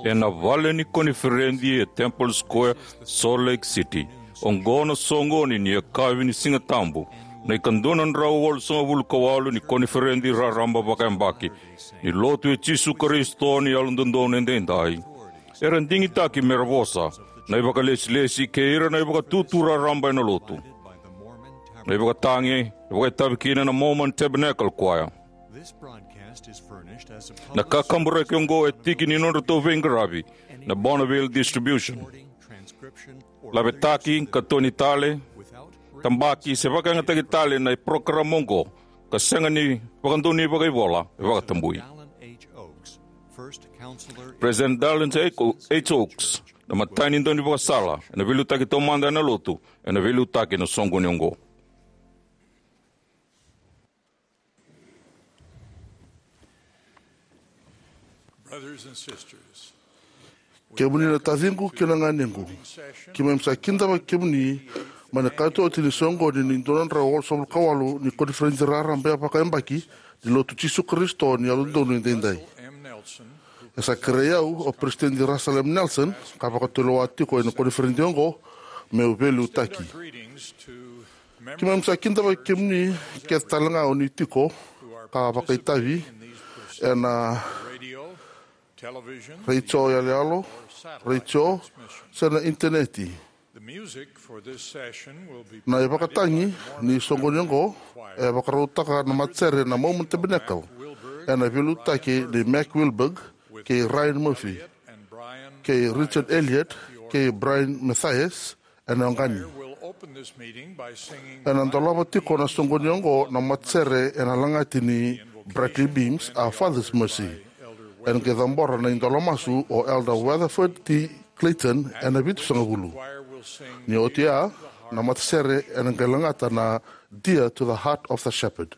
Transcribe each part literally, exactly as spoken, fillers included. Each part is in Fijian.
Ena vale ni koniferedi e Temple Square, Salt Lake City, oqo na soqoni ni yakavi ni Siga Tabu, na ikadua na drau walusagavulu ka walu ni koniferedi raraba vakayabaki ni Lotu i Jisu Karisito ni Yalododonu Edaidai. Era digitaki mera vosa na ivakalesilesi kei ira na ivakatutu raraba ena Lotu. Na ivakatagi e vakaitavi kina na Mormon Tabernacle Choir. Na kakaburaki oqo e tiki ni nodratou veiqaravi na Bonneville Distribution. Lavetaki, katoni tale, tabaki se vakayagataki tale na parokaramu oqo ka sega ni vakadonui vakaivola, e vakatabui. President Dallin H. Oaks, na imatai ni daunivakasala ena veiliutaki taumada ena Lotu, ena veiliutaki ena soqoni oqo. Kemuni na taciqu kei na ganequ, keimami sa kidavaki kemuni mai na katooti ni soqoni ni dua na drau walusagavulu ka walu ni koniferedi raraba vakayabaki ni Lotu Jisu Karisito ni Yalododonu Edaidai. E sa kerei au o Peresitedi Russell M. Nelson, ka vakatulewa tiko ena koniferedi oqo, meu veiliutaki. Keimami sa kidavaki kemuni kece talega o ni tiko ka vakaitavi ena retio yaloyalo, retio, se na initaneti. Na ivakatagi ni soqoni oqo e vakarautaka na matasere na Mormon Tabernacle, ena veiliutaki ni Mac Wilberg kei Ryan Murphy kei Richard Elliott kei Brian Mathias, ena oqani. Ena dolava tiko na soqoni oqo na matasere ena lagati ni Brightly Beams, Our Father's Mercy. Ena qai cabora na idola masu o Elder Weatherford T. Clayton ena vitusagavulu. Ni oti ya, na matasere ena qai lagata na Dear to the Heart of the Shepherd.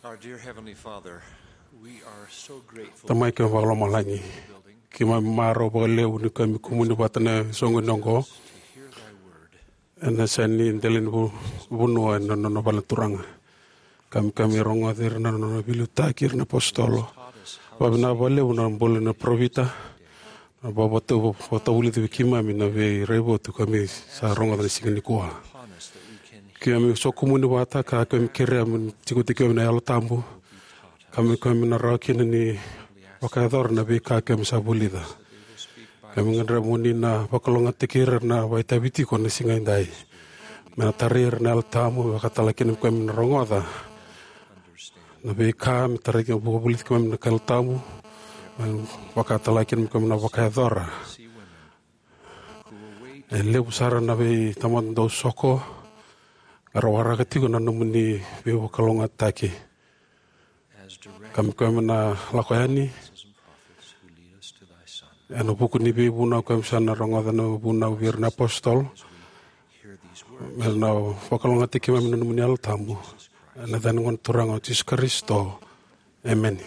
Our dear Heavenly Father, we are so grateful Tamai kei vakalomalagi, keimami marau vakalevu ni keimami kumuni vata na soqoni oqo. To hear thy word. Ena sega ni dela ni vu- vanua ena nona vale na Turaga. Keimami rogoca ira na nona veiliutaki ira na apositolo. Vakavinavinaka vakalevu na bula na parofita. Na vakavata- vakatavulici vei keimami na veiraivotu keimami sa rogoca na siga nikua. Keimami sokumuni vata ka keimami kerea mo ni tiko tiko keimami na Yalo Tabu. Keimami keimami na rawa kina ni vakayacora na veika keimami sa vulica. Keimami gadreva mo ni na vakalougatataki ira na vakaitavi tiko na siga edai. Me na tarai ira na Yalo Tabu, me vakatala kina keimami na rogoca na veika me tarai kina, vakavulici keimami na Yalo Tabu, me vakatala kina keimami na vakayacora. E levu sara na veitamata dau soko era waraka tiko na nomuni veivakalougatataki. Keimami keimami na lako yani ena vuku ni veivunau keimami sa na rogoca na vunau vei ira na apositolo. Me na vakalougatataki keimami na nomuni Yalo Tabu. Ena yaca ni Gone Turaga o Jisu Karisito. Emeni.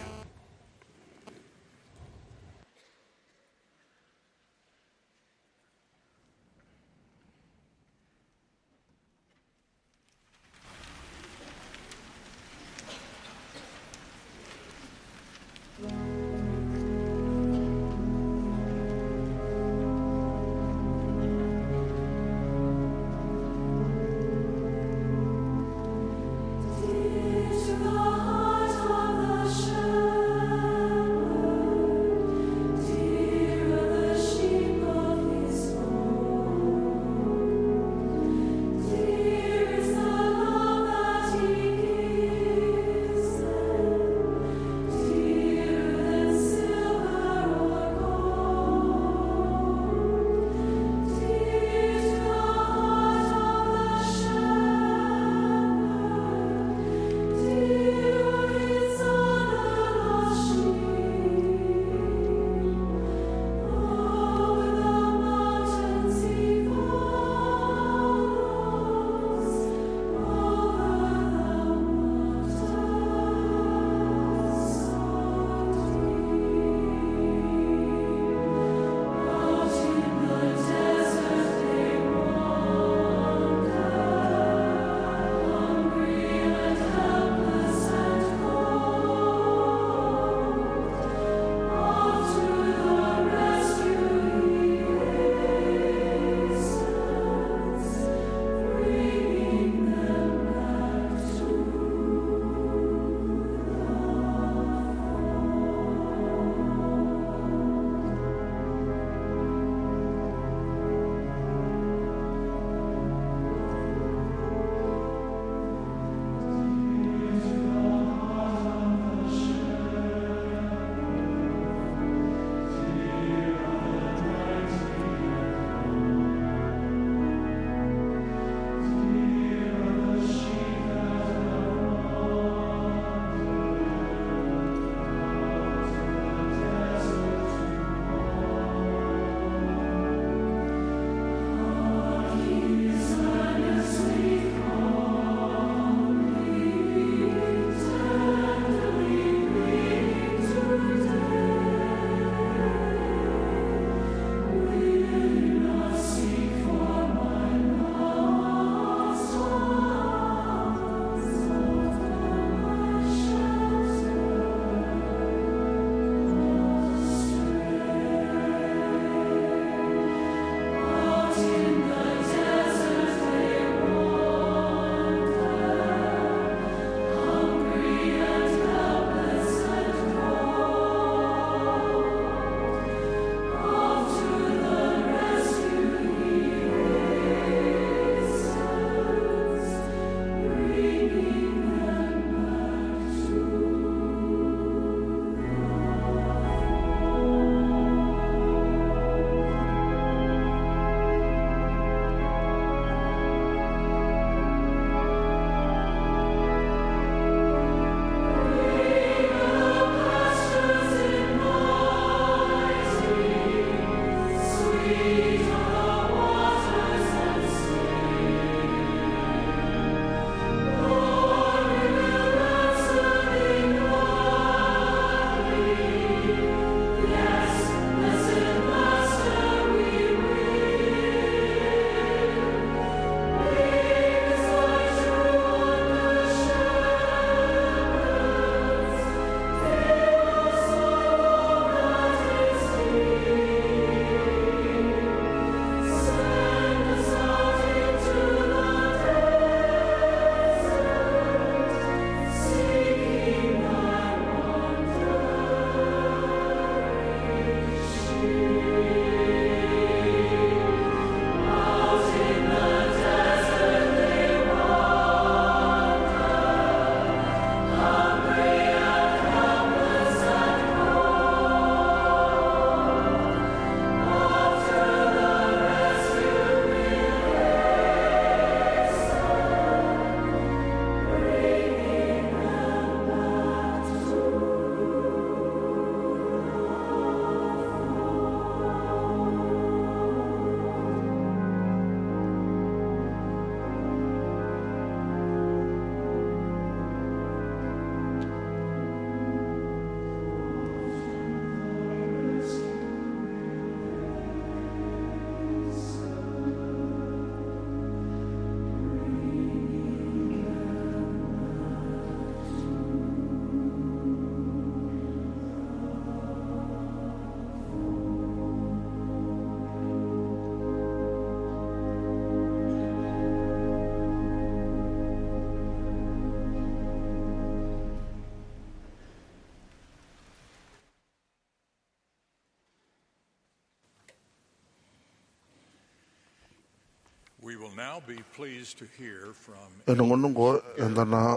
Ena gauna oqo eda na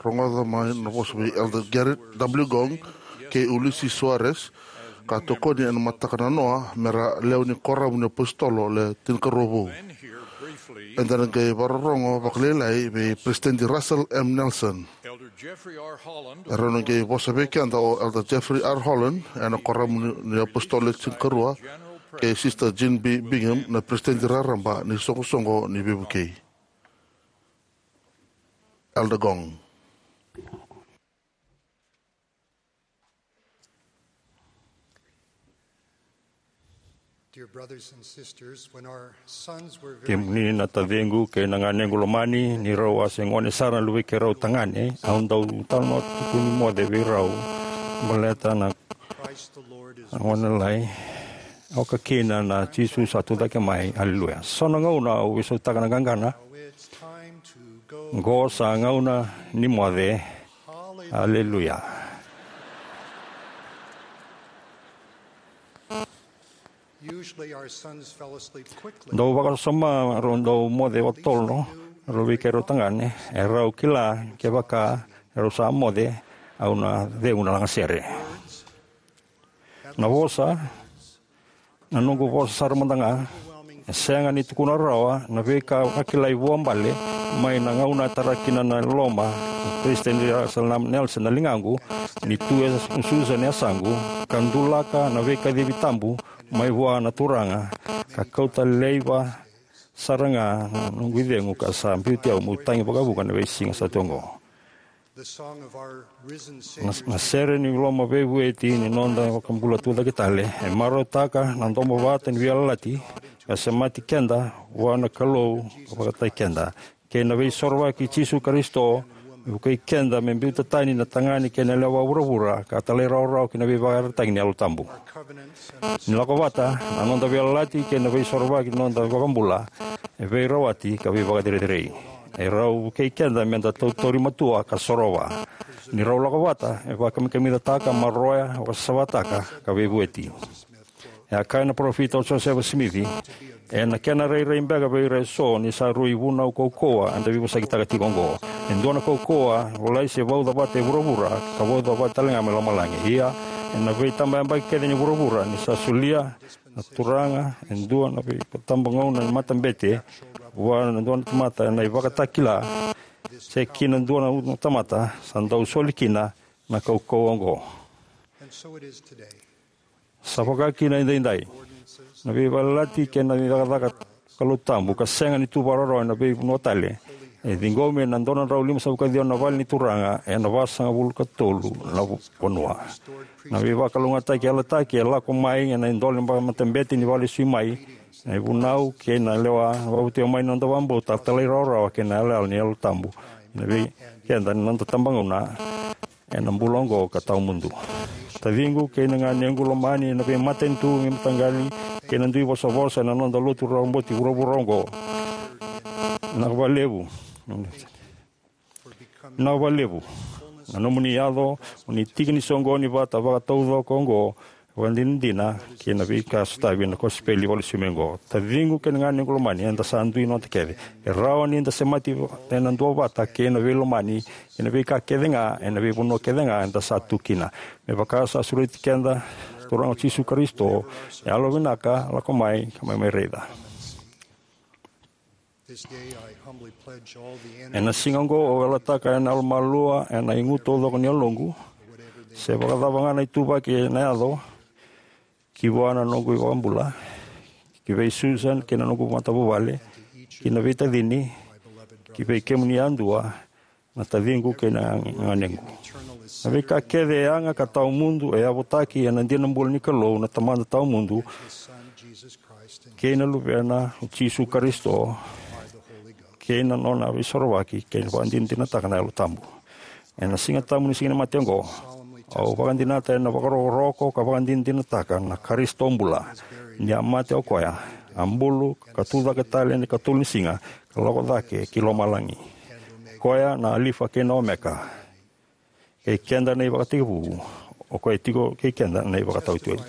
rogoca mai na vosa vei Elder Gerrit W. Gong kei Ulisses Soares, ka tokoni ena mataka nanoa me ra lewe ni Koramu ni iApositolo Le Tinikarua Vou. Eda na qai vakarorogo vakalailai vei Peresitedi Russell M. Nelson. E rau na qai vosa vei keda o Elder Jeffrey R. Holland ena Koramu ni iApositolo Le Tinikarua, kei Sister Jean B. Bingham na Peresitedi Raraba ni Soqosoqo ni Veivukei. Elder Gong. Kemuni na taciqu kei na ganequ lomani, ni rau a se gone sara na luvei keirau tagane, au dau talanoa tiko ni moce vei rau baleta na gone lai, oka kina na Jisu sa tucake mai. Aleluya. So na gauna au veisautaka na qaqana, qo sa gauna ni moce. Aleluya. Dau vakasoma rau dau moce vakatotolo rau vei keirau tagane, e rau kila kevaka e rau sa moce, au na cegu na lagasere. Na vosa, na noqu vosa sara mada ga, e sega ni tukuna rawa na veika vakilai vuabale mai na gauna e tara kina na loma na Peresitedi Russell M. Nelson na ligaqu, ni tu e Susan e yasaqu, ka dulaka na veikacivi tabu mai vua na Turaga, ka kauta laiva sara ga na noqu icegu ka sa biuti au meu tagi vakavuqa na veisiga sa tu oqo. Na, na sere ni loma veivueti ni noda iVakabula tucake tale e marautaka na domo vata ni veiyalayalati ka semati keda vua na Kalou ka vakataki keda, kei na Veisorovaki i Jisu Karisito, me vukei keda me biuta tani na tagane kei na yalewa vuravura ka talairawarawa ki na veivakayarayarataki ni Yalo Tabu. Ni lako vata, na noda veiyalayalati kei na Veisorovaki ni noda iVakabula e veirawati ka veivakacerecerei. E rau vukei keda meda tautauri matua ka sorova. Ni rau lako vata, e vakamikamicataka, maroroya, vakasavataka, ka veivueti. E a kaya na parofita o Josefa Simici, ena kena rairai beka vei ira eso ni sa rui vunau kaukauwa eda veivosakitaka tiko oqo. E dua na kaukauwa volai se vauca vata e vuravura ka vauca vata tale ga mai lomalagi. Ia, ena veitabayabaki kece ni vuravura ni sa solia na Turaga e dua na veitabogauna ni matabete vua na dua na tamata ena ivakatakila, se ki na dua na tamata, sa dau soli kina na kaukauwa oqo. Sa vaka kina edaidai. Na veiyalayalati kei na cakacaka Kalou tabu ka sega ni tu vakarorogo ena veivanua tale, e ciqomi ena dua na drau limasagavulu ka ciwa na vale ni Turaga ena vasagavulu ka tolu na vanua. Na veivakalougatataki yalataki e lako mai ena idola ni matabete ni vakalesui mai, na ivunau kei na lewa, na vakavotui mai na noda vakabauta, talairawarawa kei na yalayala ni Yalo Tabu ena vei keda ni noda tabagauna ena bula oqo ka tawamudu. Taciqu kei na ganequ lomani, ena veimatanitu, veimataqali kei na dui vosavosa ena noda lotu roboti vuravura oqo, vinaka vakalevu. Vinaka vakalevu na nomuni yaco mo ni tiki ni soqoni vata vakataucoko oqo, vakadinadina kei na veika sotavi na kosipeli vakalesui mai oqo. Taciqu kei na ganequ lomani, eda sa dui noda kece. E rawa ni da semati ena duavata kei na veilomani kei na veika kece ga ena veivanua kece ga eda sa tu kina. Me vaka sa sureti keda na Turaga o Jisu Karisito, yalovinaka, lako mai ka mai mai raica. Ena siga oqo au yalataka ena yalomalua, ena igu taucoko ni yaloqu, se vakacava ga na ituvaki ena yaco, ki vua na noqu iVakabula, ki vei Susan kei na noqu matavuvale, ki na veitacini, ki vei kemuni yadua, na taciqu kei na ganequ. Na veika kece e yaga ka tawamudu e yavutaki ena dina bula ni Kalou na Tamada tawamudu kei na Luvena o Jisu Karisito, kei na nona veisorovaki kei na vakadinadinataka na Yalo Tabu. Ena Siga Tabu ni Siganimate oqo, au vakadinata ena vakarokoroko ka vakadinadinataka na Karisito bula, ni a mate o koya, a bulu ka tucake tale ena ikatolu ni siga, ka lako cake ki lomalagi. O koya na Alifa kei na Omeka, kei keda na ivakatekivu, o koya e tiko kei keda na ivakataotioti.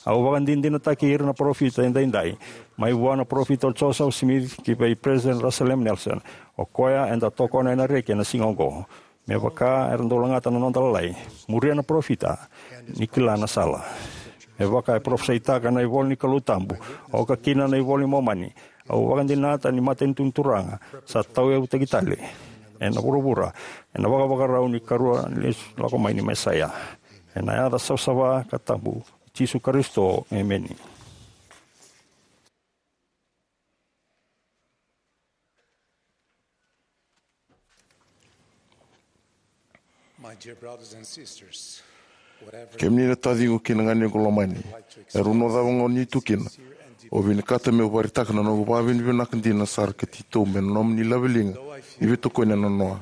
Au vakadinadinataki ira na parofita edaidai, mai vua na parofita o Joseph Smith ki vei President Russell M. Nelson, o koya eda tokona ena reki ena siga oqo. Me vaka era dau lagata na noda lalai, muria na parofita, ni kila na sala. Me vaka e parofisaitaka na ivola ni Kalou tabu, oka kina na ivola ni Momani, au vakadinata ni matanitu ni Turaga sa tauyavutaki tale ena vuravura, ena vakavakarau ni karua ni lesu lako mai ni Mesaia. Ena yaca savasava ka tabu i Jisu Karisito, emeni. My dear brothers and sisters, whatever Kemuni na taciqu kei na ganequ lomani, e rau na cava gona ni tu kina, au vinakata meu vakaraitaka na noqu vakavinavinaka dina sara ka titobu ena nomuni laveliga ni veitokoni ena noa.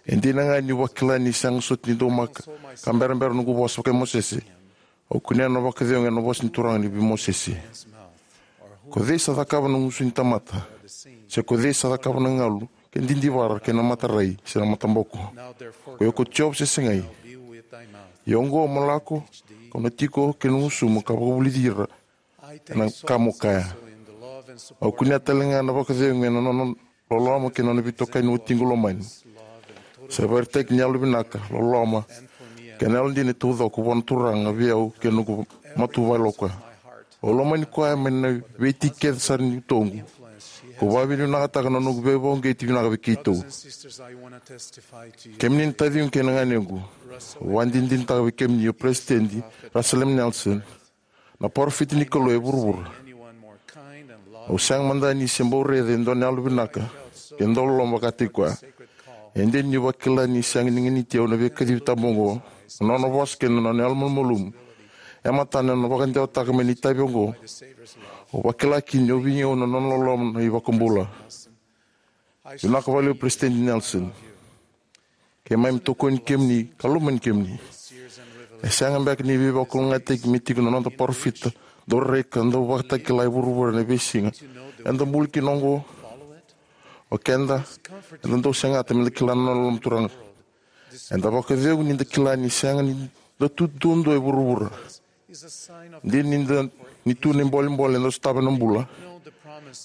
E dina ga niu vakila ni sega soti ni daumaka ka berabera noqu vosa vaka Mosese, au kunea na vakacegu ena vosa ni Turaga ni vei Mosese. Ko cei sa cakava na gusu ni tamata? Se ko cei sa cakava na galu, ke didivara, ke na matarai, se na mataboko? Ko iko Jiova se segai? Ia oqo mo lako, kau na tiko kei na gusumu ka vakavulici ira ena ka mo kaya. Au kunea tale ga na vakacegu ena nona loloma kei na nona veitokani watiqu lomani. Sa vakaraitaki ni yalovinaka, loloma, kei na yalodina e taucoko vua na Turaga vei au kei na noqu matavuvale o koya. Au lomani koya mai na veitiki kece sara ni utoqu. Kau vakavinavinakataka na noqu veivakauqeti vinaka vei keitou. Kemuni na taciqu kei na ganequ, au vakadinadinataka vei kemuni o Peresitedi Russell M. Nelson, na parofita ni Kalou e vuravura. Au sega mada ni se bau raica e dua na yalovinaka kei na dauloloma vakataki koya. E dina niu vakila ni sega ni ganiti au na veikacivi tabu oqo, na nona vosa kei na nona yalomalumalumu e matana ena vakadewataka mai na itavi oqo. Au vakila kina ni o veigauna na nona loloma na iVakabula. Vinaka vakalevu Peresitedi Nelson. Keimami tokoni kemuni ka lomani kemuni. E sega beka ni veivakalougatataki me tiko na noda parofita, dau rai ka dau vakatakila e vuravura ena veisiga eda bula kina oqo? O keda, eda dau segata meda kila na nona loloma Turaga. Eda vakacegu ni da kila ni sega ni da tu duadua e vuravura. Dina ni da, ni tu na ibolebole eda sotava ena bula.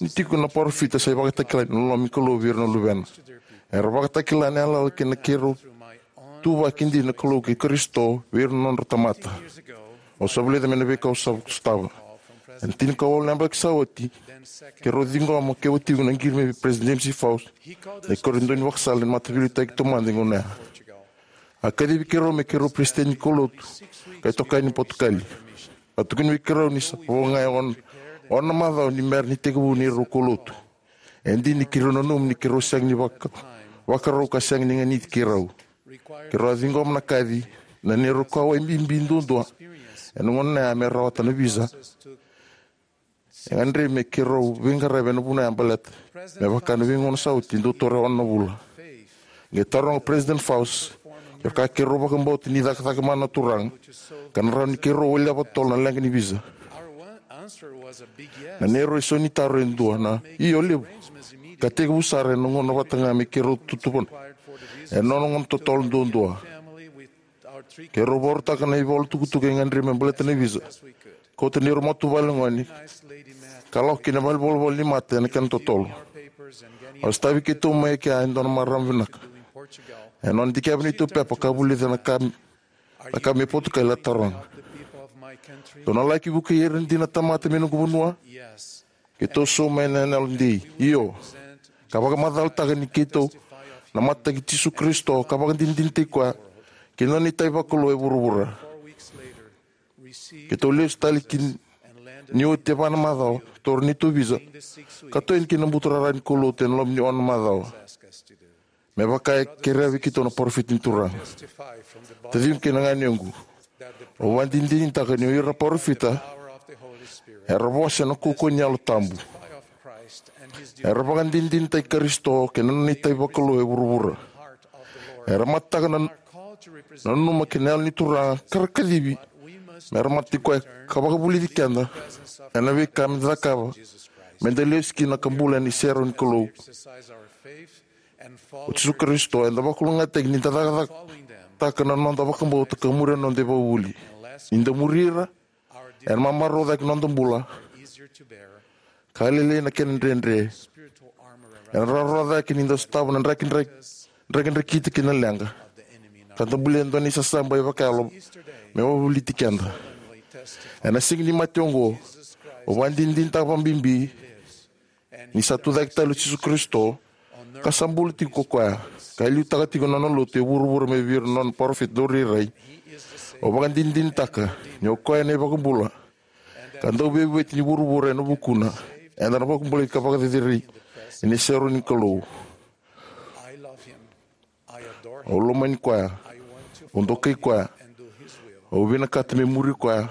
Ni tiko na parofita sa ivakatakila ni loloma ni Kalou vei ira na luvena. Era vakatakila na yalayala kei na keirau tu vakadina na Kalou kei Karisito vei ira na nodra tamata. Au sa vulica mai na veika au sa sotava. Ena tinikawalu na yabaki sa oti, keirau ciqoma kei watiqu na qiri mai vei President James E. Faust, na ikarua ni daunivakasala ni mataveiliutaki taumada e gauna ya. A kacivi keirau me keirau peresitedi ni kaulotu ka itokani ni Potukali. A tukuni vei keirau ni sa vo ga e ono, ono na macawa ni bera ni tekivu neirau kaulotu. E dina ni keirau nanuma ni keirau sega ni vaka, vakarau ka sega ni ganiti keirau. Keirau a ciqoma na kaci, na neirau kauwai bibi duadua ena gauna ya me rawata na visa. E gadrevi me keirau veiqaravi ena vanua ya baleta me vaka na veigauna sa oti dau taura e ono na vula. Qai taroga o President Faust kevaka keirau vakabauta ni cakacaka mana na Turaga ka na rawa ni keirau walia vakatotolo na leqa ni visa. Na neirau isau ni taro e dua na io levu, ka tekivu sara ena gauna vata ga me keirau tutuvana ena nona gauna totolo duadua. Keirau vakarautaka na ivola tukutuku e gadrevi me baleta na visa. Kauta neirau matavuvale gone ka lako ki na valenivolavola ni mata ena kena totolo. A sotavi keitou mai kea e dua na marama vinaka. Ena nona dikeva neitou pepa ka vulica na ka, na ka mai Potukali, a taroga: "Dou na laki vukei ira dina na tamata mai noqu vanua?" Keitou sauma ena yalodei: "Io." Ka vakamacalataka ni keitou na matataki Jisu Karisito ka vakadinadinataki koya kei na nona itavi vakalou e vuravura. Keitou lesu tale ki, ni oti e va na macawa, taura neitou visa ka toso yani ki na buturara ni kaulotu ena loma ni ono na macawa, me vaka e kerea vei keitou na parofita ni Turaga. Taciqu kei na ganequ, au vakadinadinataka ni o ira na parofita era vosa ena kaukauwa ni Yalo Tabu. Era vakadinadinataki Karisito kei na nona itavi vakalou e vuravura. Era matataka na, na nanuma kei na Yalo ni Turaga ka ra kacivi me ra matataki koya ka vakavulici keda ena veika meda cakava meda lesu kina ka bula ena iserau ni Kalou o Jisu Karisito. Eda vakalougatataki ni da cakacaka, vakarautaka na noda vakabauta ka muria na noda ivakavuvuli. Ni da muri ira, ena mamarau cake na noda bula, ka lailai na kena dredre. Ena rawarawa cake ni da sotava na draki, draki, drakidrakita kei na leqa, ka da bulia e dua na isasaba e vakayalo me wavoliti keda. Ena siga ni mate oqo, au vakadinadinataka vakabibi ni sa tucake tale o Jisu Karisito, ka sa bula tiko ko koya, ka liutaka tiko na nona lotu e vuravura mai vei ira na nona parofita daurairai. Au vakadinadinataka ni o koya na iVakabula ka Dauveivueti ni vuravura. Ena vukuna, eda na vakabulai ka vakaceceri ena iserau ni Kalou. Au lomani koya. Au dokai koya. Au vinakata me muri koya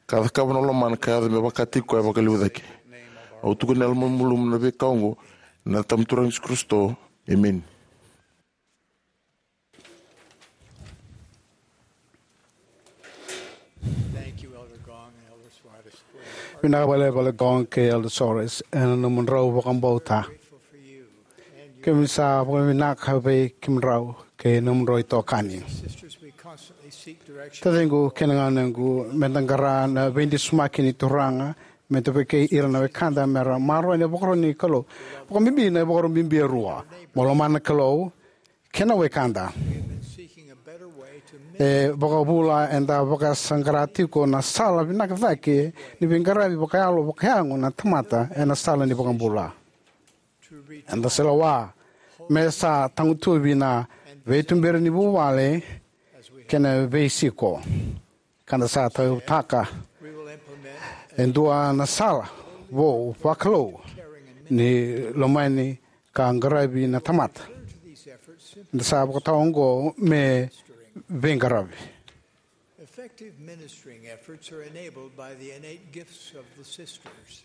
ka cakava na lomana ka yaco me vakataki koya vakalevu cake. Au tukuna na yalomalumalumu na veika oqo ena yaca ni Turaga Jisu Karisito. Emeni. Thank you, Elder Gong and Elder Suarez, for your Vinaka vakalevu Elder Gong kei Elder Suarez ena nomudrau vakabauta. Grateful for you and your Keimami sa vakavinaka vei kemudrau kei nomudrau itokani. Sisters, we constantly seek direction. Taciqu kei na ganequ, me da qara na veidisumaki ni Turaga, me da vukei ira na wekada me ra maroroya na ivakaro ni Kalou. Vakabibi na ivakaro bibi e rua: mo lomana na Kalou kei na wekada. E vakavula eda vakasaqara tiko na sala vinaka cake ni veiqaravi vakayalo vakayago na tamata ena sala ni vakabula. Eda sa lewa me sa tagutuvi na veituberi ni vuvale kei na veisiko. Ka da sa tauyavutaka e dua na sala vou vakalou ni lomani ka qaravi na tamata. Da sa vakatawa oqo me veiqaravi. Effective ministering efforts are enabled by the innate gifts of the sisters.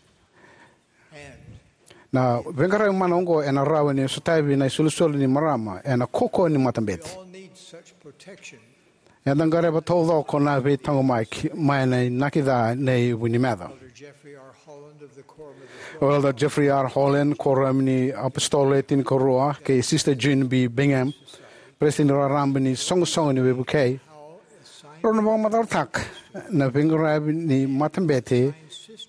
And Na veiqaravi mana oqo ena rawa ni sotavi na isolisoli ni marama ena kaukauwa ni matabete. We all need such protection. Eda gadreva taucoko na veitaqomaki mai na inaki ca nei Vunimeca. Elder Jeffrey R. Holland of the Quorum of the Twelve. O Elder Jeffrey R. Holland, Kuoramu ni iApositolo Le Tinikarua, kei Sister Jean B. Bingham, Peresitedi Raraba ni Soqosoqo ni Veivukei, rau na vakamacalataka na veiqaravi ni matabete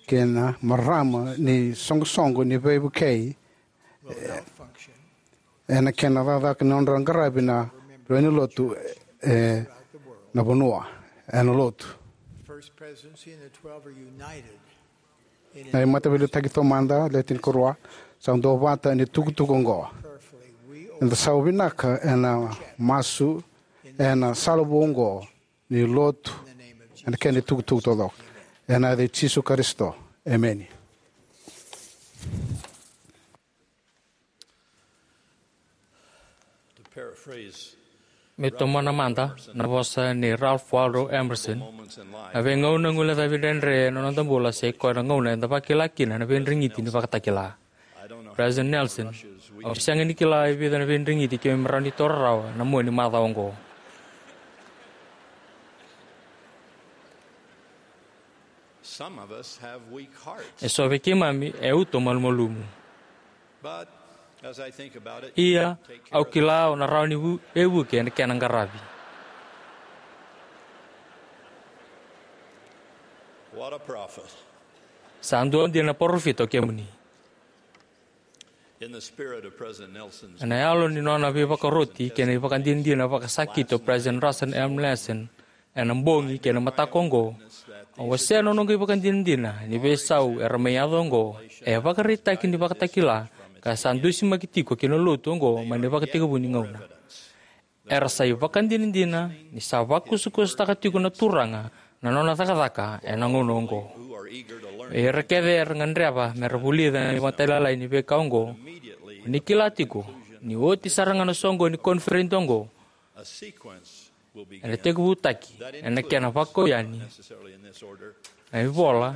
kei na marama ni Soqosoqo ni Veivukei ena kena cakacaka ni nodra qaravi na lewe ni lotu ena vanua, ena lotu. First Presidency and the Twelve are united in Na iMataveiliutaki Taumada Le Tinikarua sa duavata ena itukutuku oqo. Prayerfully, we Eda sa vinaka ena masu ena sala vou oqo ni lotu ena kena itukutuku taucoko. Ena yaca i Jisu Karisito. Emeni. To paraphrase Me tomana mada na vosa nei Ralph Waldo Emerson, na veigauna guilecavi dredre ena noda bula sa ikoya na gauna eda vakila kina na veidregiti ni vakatakila. President Nelson, au sega ni kila e vica na veidregiti keimami rawa ni taura rawa ena mua ni macawa oqo. Some of us have weak hearts. E so vei keimami e uto malumalumu. But as I think about it, Ia, take care au of kila o na rawa ni vu- veivuke ena kena qaravi. What a prophet. Sa dua dina na parofita o kemuni. In the spirit of President Nelson's Ena yalo ni nona veivakaroti kei na ivakadinadina vakasakiti o President Russell M. Nelson ena bogi kei na mataka oqo, au wasea na noqu ivakadinadina ni veisau era mai yaco oqo e vakaraitaki ni vakatakila ka sa dusimaki tiko ki na lotu oqo mai na ivakatekivu ni gauna. Era sa ivakadinadina ni sa vakusakusataka tiko na Turaga na nona cakacaka ena gauna oqo. Vei ira kece era gadreva me ra vulica na imatailalai ni veika oqo, ni kila tiko ni oti sara ga na soqoni ni koniferedi oqo, a sequence will begin. Ena tekivutaki ena kena vakau yani na ivola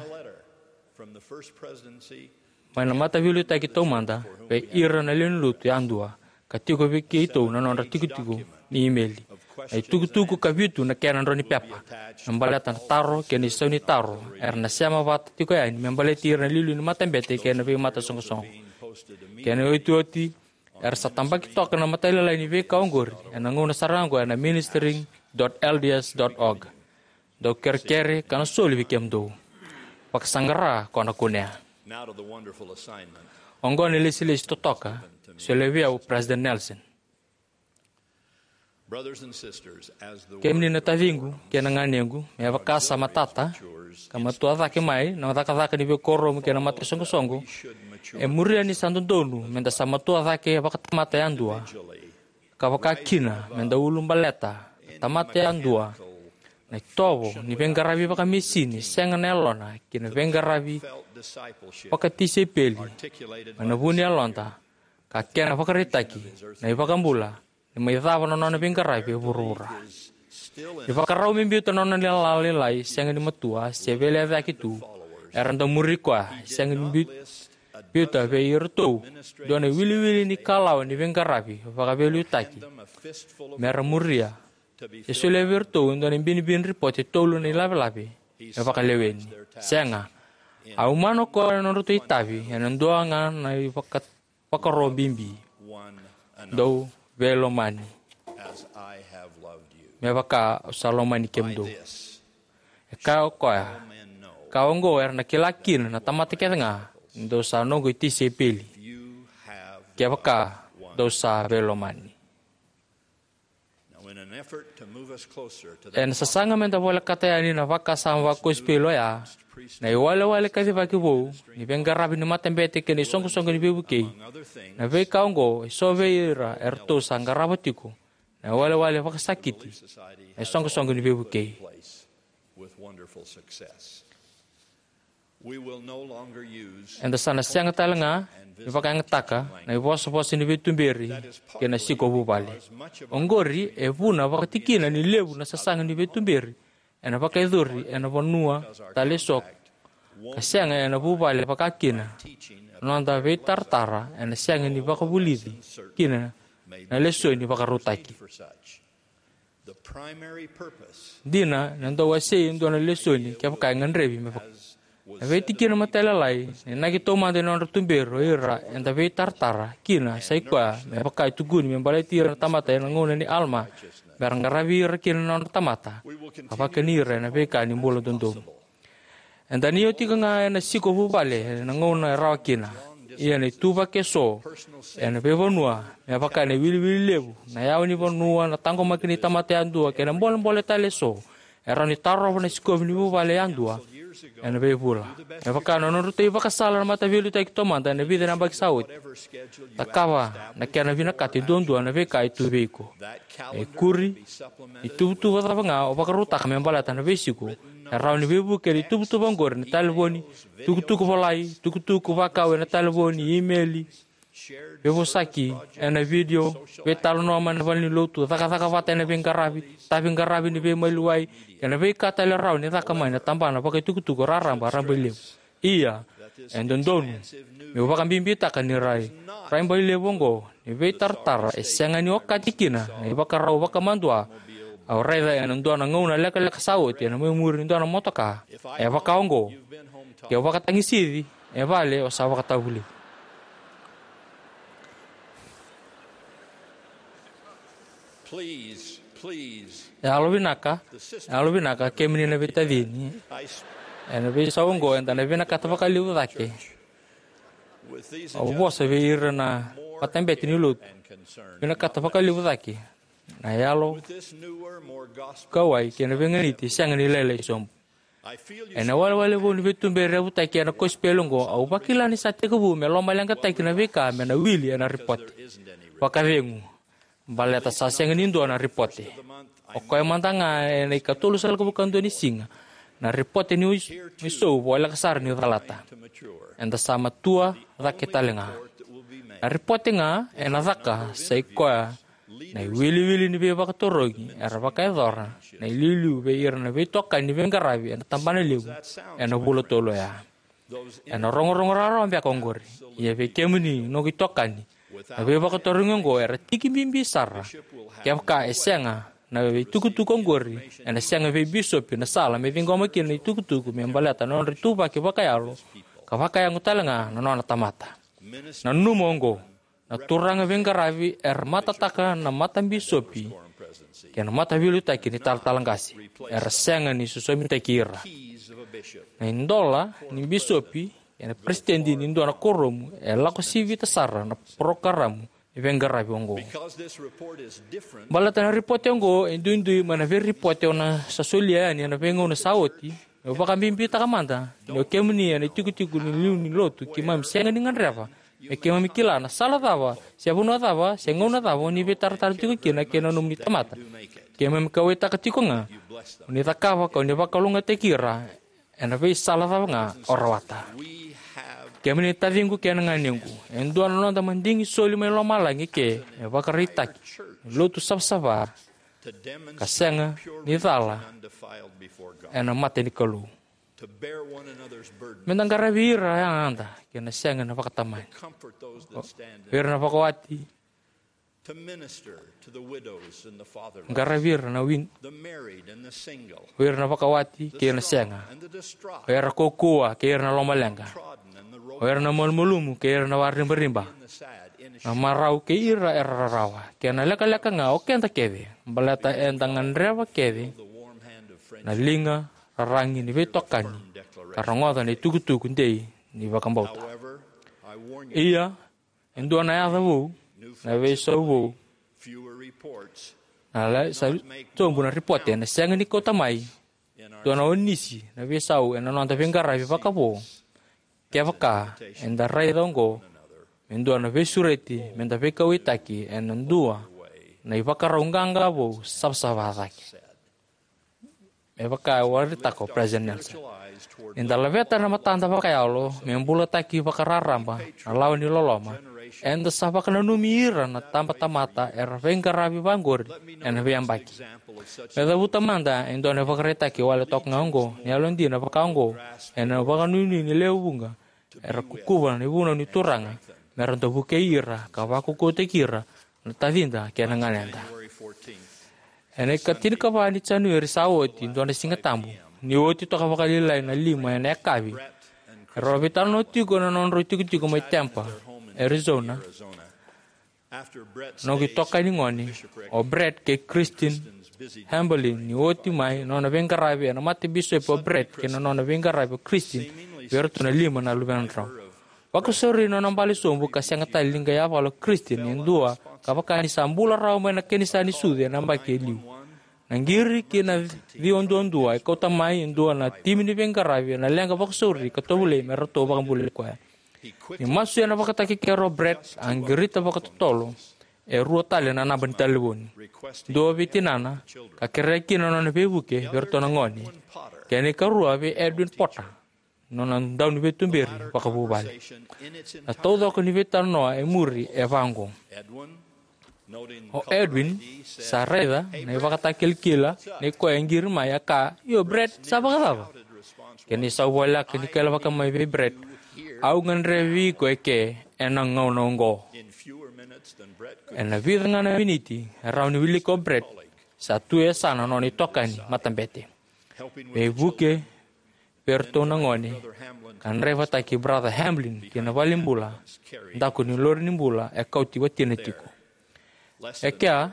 mai na Mataveiliutaki Taumada vei ira na lewe ni lotu yadua, ka tiko vei keitou na nodra tikotiko ni imeli. Na itukutuku ka vitu na kena drau ni pepa me baleta na taro kei na isau ni taro era na sema vata tiko yani me baleti ira na iliuliu ni matabete kei na veimatasoqosoqo. Kena iotioti, Era sa tabaki toka na matailalai ni veika oqori ena gauna sara ga oqo ena ministering dot L D S dot org. Dou kerekere ka na soli vei kemudou. Vakasaqara ko na kunea. Now to the wonderful assignment. Oqo na lesilesi totoka, solia vei au President Nelson. Brothers and sisters, as the Kemuni na taciqu kei na ganequ, me vaka sa matata ka matua cake mai na cakacaka ni veikuoramu kei na mataisoqosoqo, e muria ni sa dodonu meda sa matua cake vakatamata yadua, ka vaka kina meda ulubaleta na tamata yadua na itovo ni veiqaravi vakamesini sega na yalona ki na veiqaravi vakatisaipeli mai na vu ni yaloda, ka kena vakaraitaki na iVakabula ni mai cava na nona veiqaravi e vuravura. Ni vakarau me biuta na nona lala lailai sega ni matua se veilecayaki tu, era dau muri koya, sega ni biu- biuta vei iratou dua na iwiliwili ni kalawa ni veiqaravi vakaveiliutaki mera muria, e solia vei iratou e dua na ibinibini ripoti e tolu na ilavelave me vakaleweni. Sega, a umana o koya na nodratou itavi ena dua ga na ivaka- vakaro bibi. Dou veilomani, as I have loved you. Me vaka au sa lomani kemudou. This E kaya o koya, men know ka oqo era na kila kina na tamata kece ga ni dou sa noqu itisaipeli, you have kevaka dou sa veilomani. Now, in an effort to move us closer to that Ena sasaga meda volekata yani na vakasama vakosipeli oya, na iwalewale kacivaki vou ni veiqaravi ni matabete kei na isoqosoqo ni veivukei, na veika oqo e so vei ira eratou sa qarava tiko na iwalewale vakasakiti na isoqosoqo ni veivukei. With wonderful success. We will no longer use Eda sa na sega tale ga ni vakayagataka na ivosavosa ni veituberi kei na siko vuvale. Oqori e vuna vakatikina ni levu na sasaga ni veituberi ena vakayacori ena vanua tale eso, ka sega ena vuvale vakakina. Noda veitaratara ena sega ni vakavulici kina na lesoni vakarautaki. Dina, na dau wasei e dua na lesoni kevaka e gadrevi me vaka. Na veitikina matailalai, na inaki taumada ni nodra tuberi o ira eda veitaratara kina sa i koya me vaka e tukuni me baleti ira na tamata ena gauna ni Alama, mera qaravi ira kina na nodra tamata ka vakani ira ena veika ni bula dodonu. Eda na io tiko ga ena siko vuvale ena gauna e rawa kina. Ia na ituvaki eso ena veivanua me vaka na iwiliwili levu, na yawa ni vanua, na taqomaki ni tamata yadua kei na bolebole tale eso e rawa ni tarova na sikovi ni vuvale yadua ena veivula. Me vaka na nodratou ivakasala na mataveiliutaki taumada ena vica na yabaki sa oti. Cakava na kena vinakata e duadua na veika e tu vei iko. E kuri, ituvatuva cava ga o vakarautaka me baleta na veisiko, e rawa ni veivuke ena ituvatuva oqori ena talevoni, tukutuku volai, tukutuku vakau ena talevoni, imeli, veivosaki ena vidio, veitalanoa mai na valenilotu, cakacaka vata ena veiqaravi, taviqaravi ni veimaliwai, kei na veika tale e rawa ni caka mai na tabana vakaitukutuku raraba, rabailevu. Ia, e dodonu meu vakabibitaka ni rai, rabailevu oqo ni veitaratara e sega ni okati kina na ivakarau vakamadua au raica ena dua na gauna lekaleka sa oti ena mai muri ni dua na motoka. E vaka oqo, ke o vakatagisici e vale, o sa vakatavulici. Please, please, Yalo vinaka, yalo vinaka, kemuni na veitacini. Ena veisau oqo eda na vinakata vakalevu cake. Au vosa vei ira na matabete ni lotu. Vinakata vakalevu cake na yalo kauwai kei na veiganiti sega ni lailai sobu. Ena walewale vou ni veituberi yavutaki ena kosipeli oqo, au vakila ni sa tekivu me lomaleqataki na veika me na wili ena ripote. Vakacegu, baleta sa sega ni dua na ripote. O koya mada ga ena ikatolusagavulu ka dua ni siga na ripote ni isou voleka sara niu calata. Eda sa matua cake tale ga. Na ripote ga ena caka sa i koya na iwiliwili ni veivakatarogi era vakayacora na iliuliu vei ira na veitokani ni veiqaravi ena tabana levu ena vula tolu oya. Ena rogorogo rawarawa beka oqori. Ia vei kemuni noqu itokani, na veivakatarogi oqo era tiki bibi sara. Kevaka e sega na veitukutuku oqori, ena sega vei bisopi na sala me ciqoma kina na itukutuku me baleta na nodra ituvaki vakayalo ka vakayago tale ga na nona tamata. Nanuma oqo, Na turaga veiqaravi era matataka na matabisopi kei na mataveiliutaki ni talatala qase. Era sega ni sosomitaki ira. Na idola ni bisopi kei na peresitedi ni dua na kuoramu e lako sivita sara na parokaramu ni veiqaravi oqo. Baleta na ripote oqo e duidui mai na veiripote au sa solia yani ena veigauna sa oti, meu vakabibitaka mada ni o kemuni ena itikotiko ni liu ni lotu, keimami sega ni gadreva me keimami kila na sala cava se vanua cava se gauna cava o ni veitaratara tiko kina kei na nomuni tamata. Keimami kauwaitaka tiko ga o ni cakava ka o ni vakalougatataki ira ena veisala cava ga o rawata. Kemuni na taciqu kei na ganequ, e dua na noda madigi soli mai lomalagi ke me vakaraitaki ni lotu savasava ka sega ni cala ena mata ni Kalou. Meda qaravi ira yada kei na sega na vakatamani. O ira na vakawati, qaravi ira na win, o ira na vakawati kei na sega, o ira kaukauwa kei ira na lomaleqa, o ira na malumalumu kei ira na waribariba, na marau kei ira era rarawa, kei na lekaleka ga o keda kece, baleta eda gadreva kece na liga raragi ni veitokani ka rogoca na itukutuku dei ni vakabauta. Ia, e dua na yaca vou, na veisau vou, na lai sa tobu na ripote ena sega ni kauta mai dua na onisi na veisau ena noda veiqaravi vakavo. Kevaka eda raica oqo me dua na veisureti meda veikauwaitaki ena dua na ivakarau qaqa vou savasava cake. Me vaka e vakaraitaka o President Nelson, ni da laveta na matada vakayalo me bulataki vakararaba na lawa ni loloma, eda sa vakananumi ira na tabatamata era veiqaravi vaqori ena veiyabaki. Me cavuta mada e dua na ivakaraitaki wale toka ga oqo ni yalodina vaka oqo ena vakanuinui ni lewe vuqa era kukuva na ivunau ni Turaga me ra dau vukei ira ka vakaukauwataki ira na tacida kei na ganeda. Ena ikatinikava ni Janueri sa oti, dua na Siga Tabu, ni oti toka vakalailai na lima ena yakavi, erau veitalanoa tiko na nodrau itikotiko mai Tempe, Arizona, noqu itokani gone, o Brett kei Christine Hamblin. Ni oti mai na nona veiqaravi ena matabisopi o Brett kei na nona veiqaravi o Christine vei iratou na lima na luvedrau, vakasauri na nona bale sobu ka sega tale ni qai yavala o Christine e dua ka vaka ni sa bula rawa mai na kenisa ni sucu ena yabaki e liu. Na qiri kei na ciwa duadua e kauta mai e dua na timi ni veiqaravi ena leqa vakasauri ka tovolei me ratou vakabulai koya. Ni masu ena vakatakekere o Brett, a qirita vakatotolo e rua tale na naba ni talevoni. Dua vei tinana, ka kerea kina na nona veivuke vei iratou na gone, kei na ikarua vei Edwin Potter, nona dauniveituberi vakavuvale. Na taucoko ni veitalanoa e muri e vaqo. O Edwin sa raica na ivakatakilakila nei koya e qiri mai, a kaya, "Io, Brett, sa vakacava?" Kei na isau voleka ni kailavaka mai vei Brett, "Au gadrevi iko eke ena gauna oqo." Ena vica ga na miniti e rawa ni wilika o Brett, sa tu e yasana na nona itokani matabete. Veivuke vei iratou na gone, ka draivataki Brother Hamblin ki na valenibula, daku ni lori ni bula e kauti watina tiko. E kea,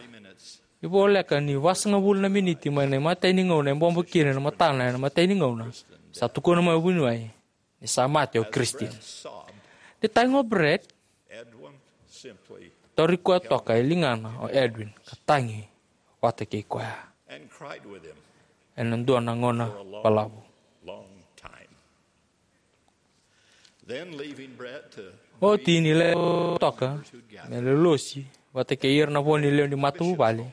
ni voleka ni vasagavulu na miniti mai na imatai ni gauna e bobo kina na matana ena imatai ni gauna, sa tukuna mai o vuniwai ni sa mate o Christine. Ni tagi o Brett, tauri koya toka e ligana o Edwin ka tagi vata kei koya ena dua na gauna balavu. Oti ni lewe toka me lolosi vata kei ira na vo ni lewe ni matavuvale,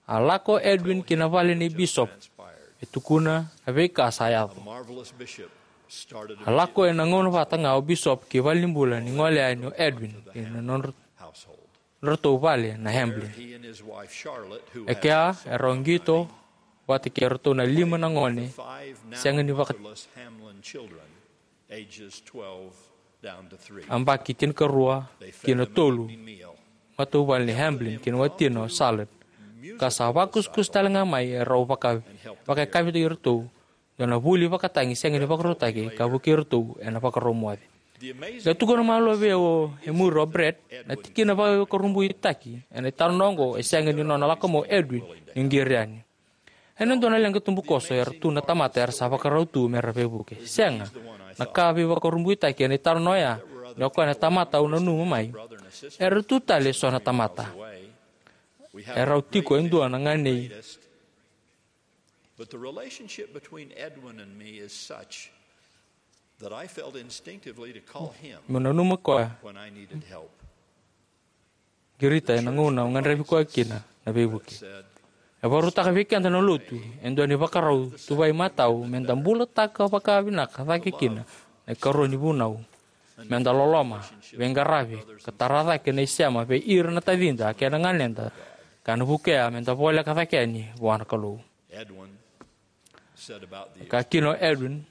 a lako o Edwin ki na vale ni bisopi me tukuna na veika sa yaco. A lako ena gauna vata ga o bisopi ki valenibula ni gole yani o Edwin kei na nodra ratou vale na Hamblin. E kea e rau qito vata kei ratou na lima na gone sega ni vaka, yabaki tinikarua ki na tolu, matavuvale ni Hamblin kei na watina o Charlotte, ka sa vakusakusa tale ga mai e rau vaka, vakayakavi iratou dua na vuli vakatagi sega ni vakarautaki ka vukei iratou ena vakarau moce. E tukuna malua vei au e muri o Brett na tikina vakaveivakurabuitaki ena italanoa oqo e sega ni nona lako mai o Edwin ni qiri yani. Ena dua na leqa tubukoso era tu na tamata era sa vakarau tu me ra veivuke. Sega, na ka veivakurabuitaki ena italanoa oya ni o koya na tamata au nanuma mai, era tu tale eso na tamata. Erau tiko e dua na ganei. But the relationship between Edwin and me is such that I felt instinctively to call him. Meu nanuma koya, when I needed help. Qirita ena gauna au gadrevi koya kina na veivuke. E vakarautaka vei keda na lotu e dua na ivakarau tu vaimatau me da bulataka vakavinaka cake kina na ikarua ni vunau. Me da loloma, veiqaravi, ka tara cake na isema vei ira na tacida kei na ganeda, ka na vukea me da voleka cake yani vua na Kalou. Edwin said about the, ka kina o Edwin,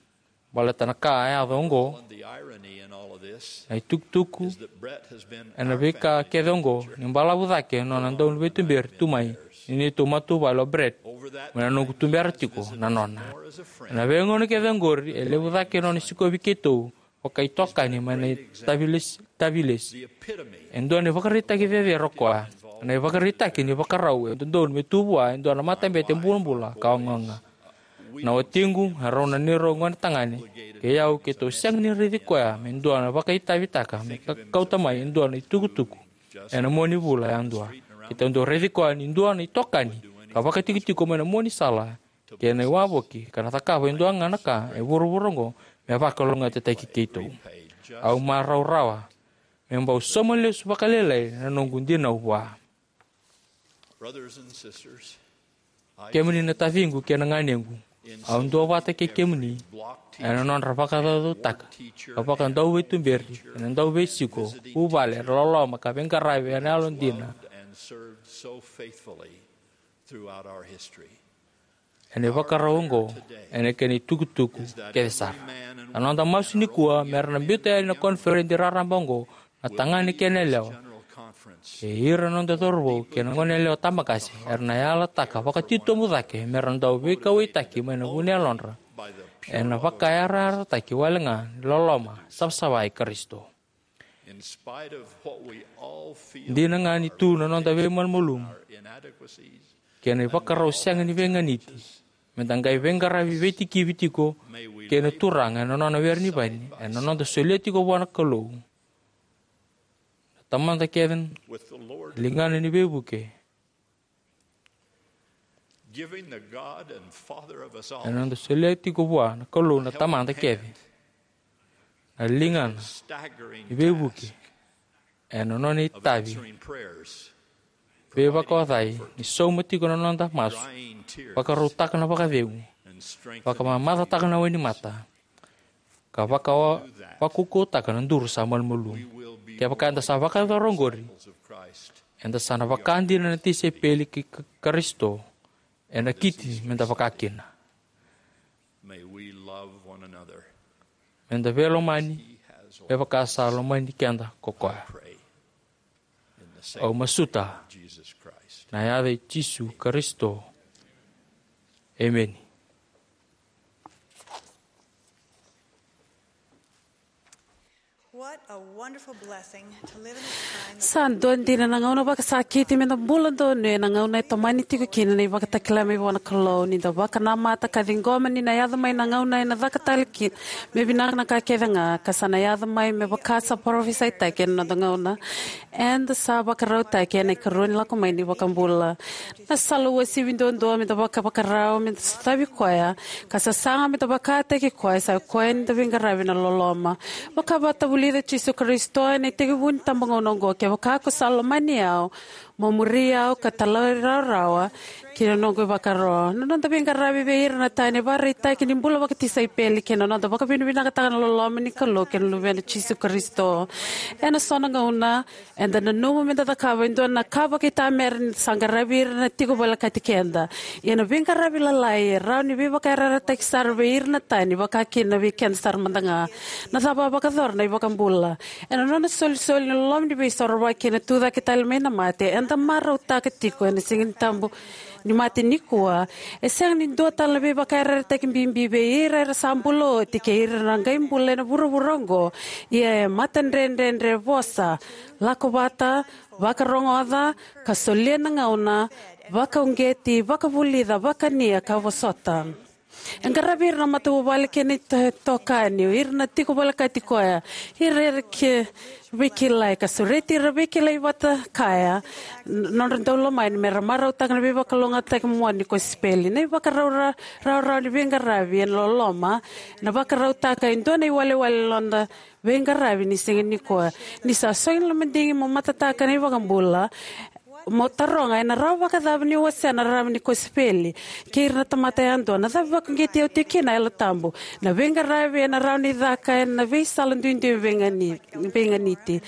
baleta na ka a yaco oqo, on the irony in all of this, na itukutuku is that Brett has been ena our veika family kece oqo, ni balavu cake na nona dau ni veituberi tu mai ni neitou matavuvale o Brett, over that mai na noqu tubera tiko na nona. Ena veigauna kece oqori e levu cake na nona sikovi keitou vakaitokani mai na itavilesi, tavilesi. E dua na ivakaraitaki cecere o koya, na ivakaraitaki ni vakarau e dodonu me tu vua e dua na matabete bulabula ka ogaoga. Na watiqu, erau na neirau gone tagane, kei au keitou sega ni raici koya me dua na vakaitavitaka me ka-, kauta mai e dua na itukutuku ena mua ni vula yadua. Keitou dau raici koya ni dua na itokani ka vakatikotiko mai na mua ni sala kei na iwavoki, ka na cakava e dua ga na ka e vuravura oqo me vakalougatataki keitou. Au marau rawa me bau sauma lesu vakalailai na noqu dinau vua. Brothers and sisters, I, kemuni na taciqu kei na ganequ, au duavata kei kemuni ena nodra vakacaucautaka ka vakadauveituberi ena dauveisiko, vuvale, era loloma ka veiqaravi ena yalodina. And served so faithfully throughout our history. Ena ivakarau oqo, ena kena itukutuku kece sara. Na noda masu nikua me ra na biuta yani na koniferedi raraba oqo na tagane kei na yalewa, kei ira na noda cauravou kei na goneyalewa tabaqase, era na yalataka vakatitobu cake me ra dau veikauwaitaki mai na vu ni yalodra ena vakayarayarataki wale ga ni loloma savasava i Karisito. In spite of what we all feel, dina ga ni tu na noda veimalumalumu, our inadequacies, kei na ivakarau sega ni veiganiti, me da qai veiqaravi veitikivi tiko kei na Turaga ena nona were ni vaini, ena noda solia tiko vua na Kalou na tamada kece, with the Lord, ligana ni veivuke. Giving the God and Father of us all, ena noda solia tiko vua na Kalou na tamada kece na ligana, staggering, ni veivuke task, ena nona itavi, answering prayers, veivakaocai, ni sauma tiko na noda masu, drying tears, vakarautaka na vakacegu, and strengthening, vakamamacataka na wainimata, ka vaka, vakaukauwataka na duru sa malumalumu. Kevaka eda sa vakayacora oqori, eda sa na vaka dina na tisaipeli kei Ka-, Karisito, ena kiti me da vaka kina. May we love one another. Me da veilomani, me vaka sa lomani keda ko koya. Au masuta ena yaca i Jisu Karisito. Emeni. What a wonderful blessing to live in a time. Sa dua dina na gauna vakasakiti me da bula donuya ena gauna e tomani tiko kina na ivakatakila mai vua na Kalou, ni da vakanamata ka ciqoma ni na yaco mai na gauna ena caka tale kina me vinaka na ka kece ga, ka sa na yaco mai me vaka sa parofisaitaki ena noda gauna. Eda sa vakarautaki ena ikarua ni lako mai ni iVakabula. Na sala uasivi duadua me da vakavakarau me da sotavi koya ka sasaga me da vakataki koya, sa koya ni da veiqaravi ena loloma. Vakavatavulica Jisu Karisito ena itekivu ni tabagauna oqo: Kevaka ko sa lomani au, mo muri au ka talairawarawa ki na noqu ivakaro. Na noda veiqaravi vei ira na tani e vakaraitaki ni bula vakatisaipeli kei na noda vakavinavinakataka na loloma ni Kalou kei na Luvena Jisu Karisito. Ena so na gauna eda nanuma me da cakava e dua na ka vakaitamera ni da sa qaravi ira na tiko volekati keda. Ia na veiqaravi lalai e rawa ni veivakayarayarataki sara vei ira na tani, vaka kina vei keda sara mada ga. Na cava a vakayacora na iVakabula? Ena nona solisoli na loloma ni Veisorovaki kei na tucake tale mai na mate, eda marautaka tiko ena Siga ni Tabu ni mate nikua, e sega ni dua tale na veivakayarayarataki bibi vei ira era sa bula oti kei ira na qai bula ena vuravura oqo. Ia e matadredredre vosa, lako vata, vakarogoca, ka solia na gauna, vakauqeti, vakavulica, vakania, ka vosota. E qaravi ira na matavuvale kei na ito-, itokani, ira na tiko volekati koya, ira era ke veikilai, ka sureti ira veikilai vata kaya, n-, nodra daulomani, me ra marautaka na veivakalougatataki moni ni kosipeli. Na ivakarau ra-, rawarawa ni veiqaravi ena loloma, na vakarautaka e dua na iwalewale ni noda veiqaravi ni siga nikua. Ni sa sogi na madigi mo matataka na iVakabula, mo taroga, ena rawa vakacava niu wasea na rarama ni kosipeli kei ira na tamata yadua? Na cava vakauqeti au tiko kina na Yalo Tabu? Na veiqaravi ena rawa ni caka ena veisala duidui veigani-, veiganiti.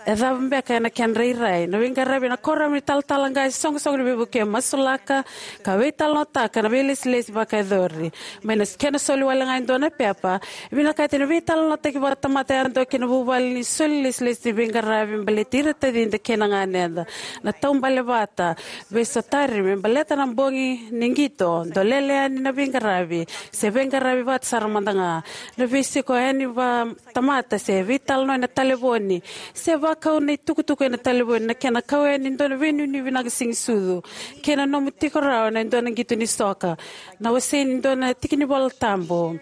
E cava beka ena kena rairai? Na veiqaravi ena kuoramu ni talatala qase, soqosoqo ni veivuke, masulaka ka veitalanoataka na veilesilesi vakayacori. Mai na kena soli wale ga e dua na pepa, e vinakati na veitalanoataki vakatamata yadua kei na vuvale ni soli lesilesi ni veiqaravi baleti ira tacida kei na ganeda. Na taubale vata, veisotari me baleta na bogi ni qito, dolele yani na veiqaravi, se veiqaravi vata sara mada ga. Na veisiko yani vakatamata se veitalanoa ena talevoni, se vakau na itukutuku ena talevoni, na kena kau yani e dua na veinuinui vinaka sega ni sucu, kei na nomu tiko rawa ena dua na qito ni soka, na wasei ni dua na tiki ni Vola Tabu,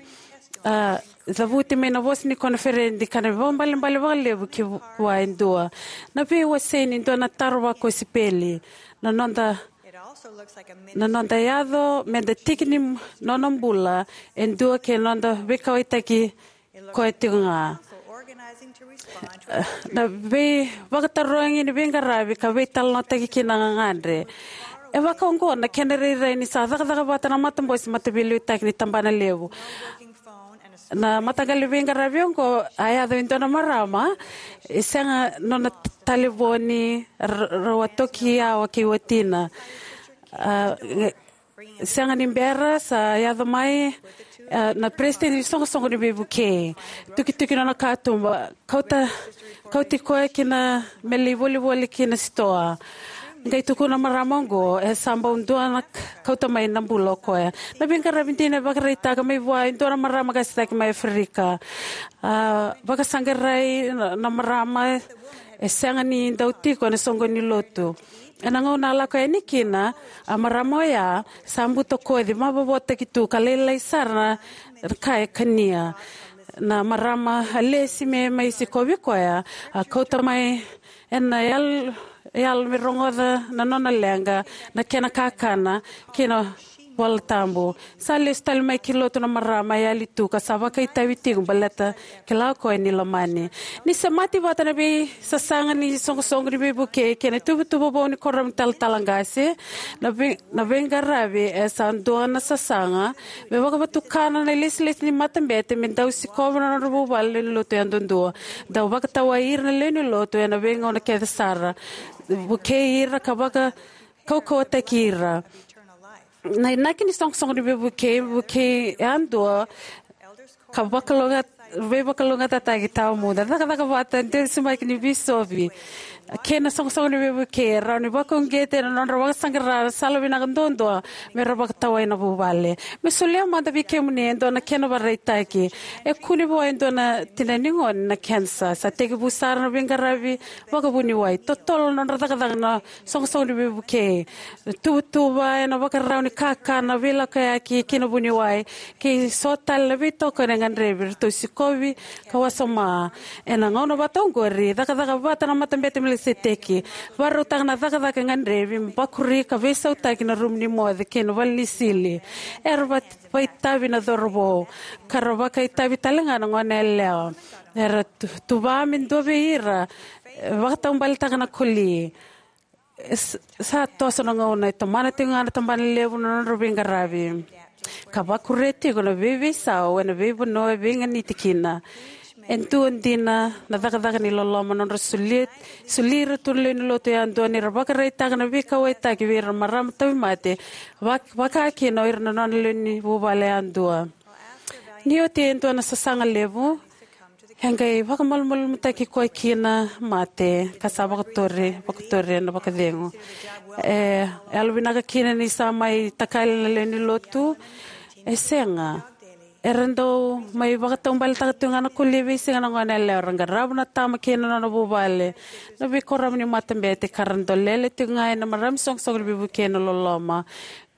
a, cavuti mai na vosa ni koniferedi, ka na vakaibalebale vakalevu ki vua e dua. Na veiwasei ni dua na taro vakosipeli, na noda, na noda yaco me da tiki ni nona bula e dua kei na noda veikauwaitaki koya tiko ga. Na veivakatarogi ni veiqaravi ka veitalanoataki kina na gagadre. E vaka oqo na kena rairai ni sa cakacaka vata na matabose mataveiliutaki ni tabana levu. Na mataqali veiqaravi oqo a yaco e dua na marama, e sega nona talevoni, r-, rau a toki yawa kei watina. A, sega ni bera sa yaco mai, a, na peresitedi ni soqosoqo ni veivukei. Tukituki nona katuba, kauta, kauti koya kina me lai volivoli kina sitoa. Qai tukuna na marama oqo, e sa bau dua na k-, kauta mai na bula o koya. Na veiqaravi dina e vakaraitaka mai vua e dua na marama qase cake mai Aferika. A, vakasaqarai na, na marama, e sega ni dau tiko ena soqo ni lotu. Ena gauna a lako yani kina, a marama oya sa butakoci, mavovotaki tu ka lailai sara na ka e kania. Na marama a lesi me mai sikovi koya, a kauta mai ena yal-, yalo me rogoca na nona leqa, na kena kakana, kei na Vola Tabu. Sa lesu tale mai ki lotu na marama, e yali tu ka sa vakaitavi tiko baleta kila o koya ni lomani. Ni semati vata na veisasaga ni soqosoqo ni veivukei kei na ituvatuva vou ni kuoramu ni talatala qase, na vei-, na veiqaravi e sa dua na sasaga me vakavatukana na ilesilesi ni matabete me dau sikova na nodra vuvale ni lotu yadudua. Dau vakatawai ira na lewe ni lotu ena veigauna kece sara. Vukei ira ka vaka kaukauwataki ira. Na inaki ni soqosoqo ni veivukei, vukei yadua, ka vakalouga-, veivakalougatataki tawamudu. Cakacaka vata, dua na simaki ni bisopi kei na soqosoqo ni veivukei e rawa ni vakauqeti ena nodra vakasaqara na sala vinaka duadua me ra vakatawai na vuvale. Me solia mada vei kemuni e dua na kena vakaraitaki. E kune vua e dua na tina ni gone na kenisa. Sa tekivu sara na veiqaravi vakavuniwai. Totolo na nodra cakacaka na soqosoqo ni veivukei. Tuvatuva ena vakarau ni kakana, veilakoyaki kei na vuniwai, kei so tale na veitokoni e gadrevi, ratou sikovi ka wasoma. Ena gauna vata oqori, cakacaka vata na Matabete i Melikiseteki, vakarautaka na cakacaka e gadrevi, bakuri ka veisautaki na rumu ni moce kei na vale ni sili. Era va-, vakaitavi na cauravou, ka ra vakaitavi tale ga na goneyalewa. Era tu-, tuva me dua vei ira, e, vakataubaletaka na koli. E s-, sa toso na gauna, e tomana tiko ga na tabana levu na nodra veiqaravi, ka vakuria tiko na veiveisau ena veivanua e veiganiti kina. E dua dina na cakacaka ni loloma, nodra soli, soli ira tu na lewe ni lotu yadua ni ra vakaraitaka na veikauwaitaki vei ira na marama tauvimate, vak-, vaka kina o ira na nona lewe ni vuvale yadua. Ni oti e dua na sasaga levu, E qai vakamalumalumutaki koya kina mate, ka sa vakatori, vakatori ena vakacegu. E, e yalovinaka kina ni sa mai takali na lewe ni lotu. E sega. Era dau mai vakataubaletaka tu ga na koli e veisiga na gone yalewa, ra qarava na tama kei na nona vuvale. Na veikoro ni matabete ka ra dolele tu ga ena marama soqosoqo ni veivuke na loloma.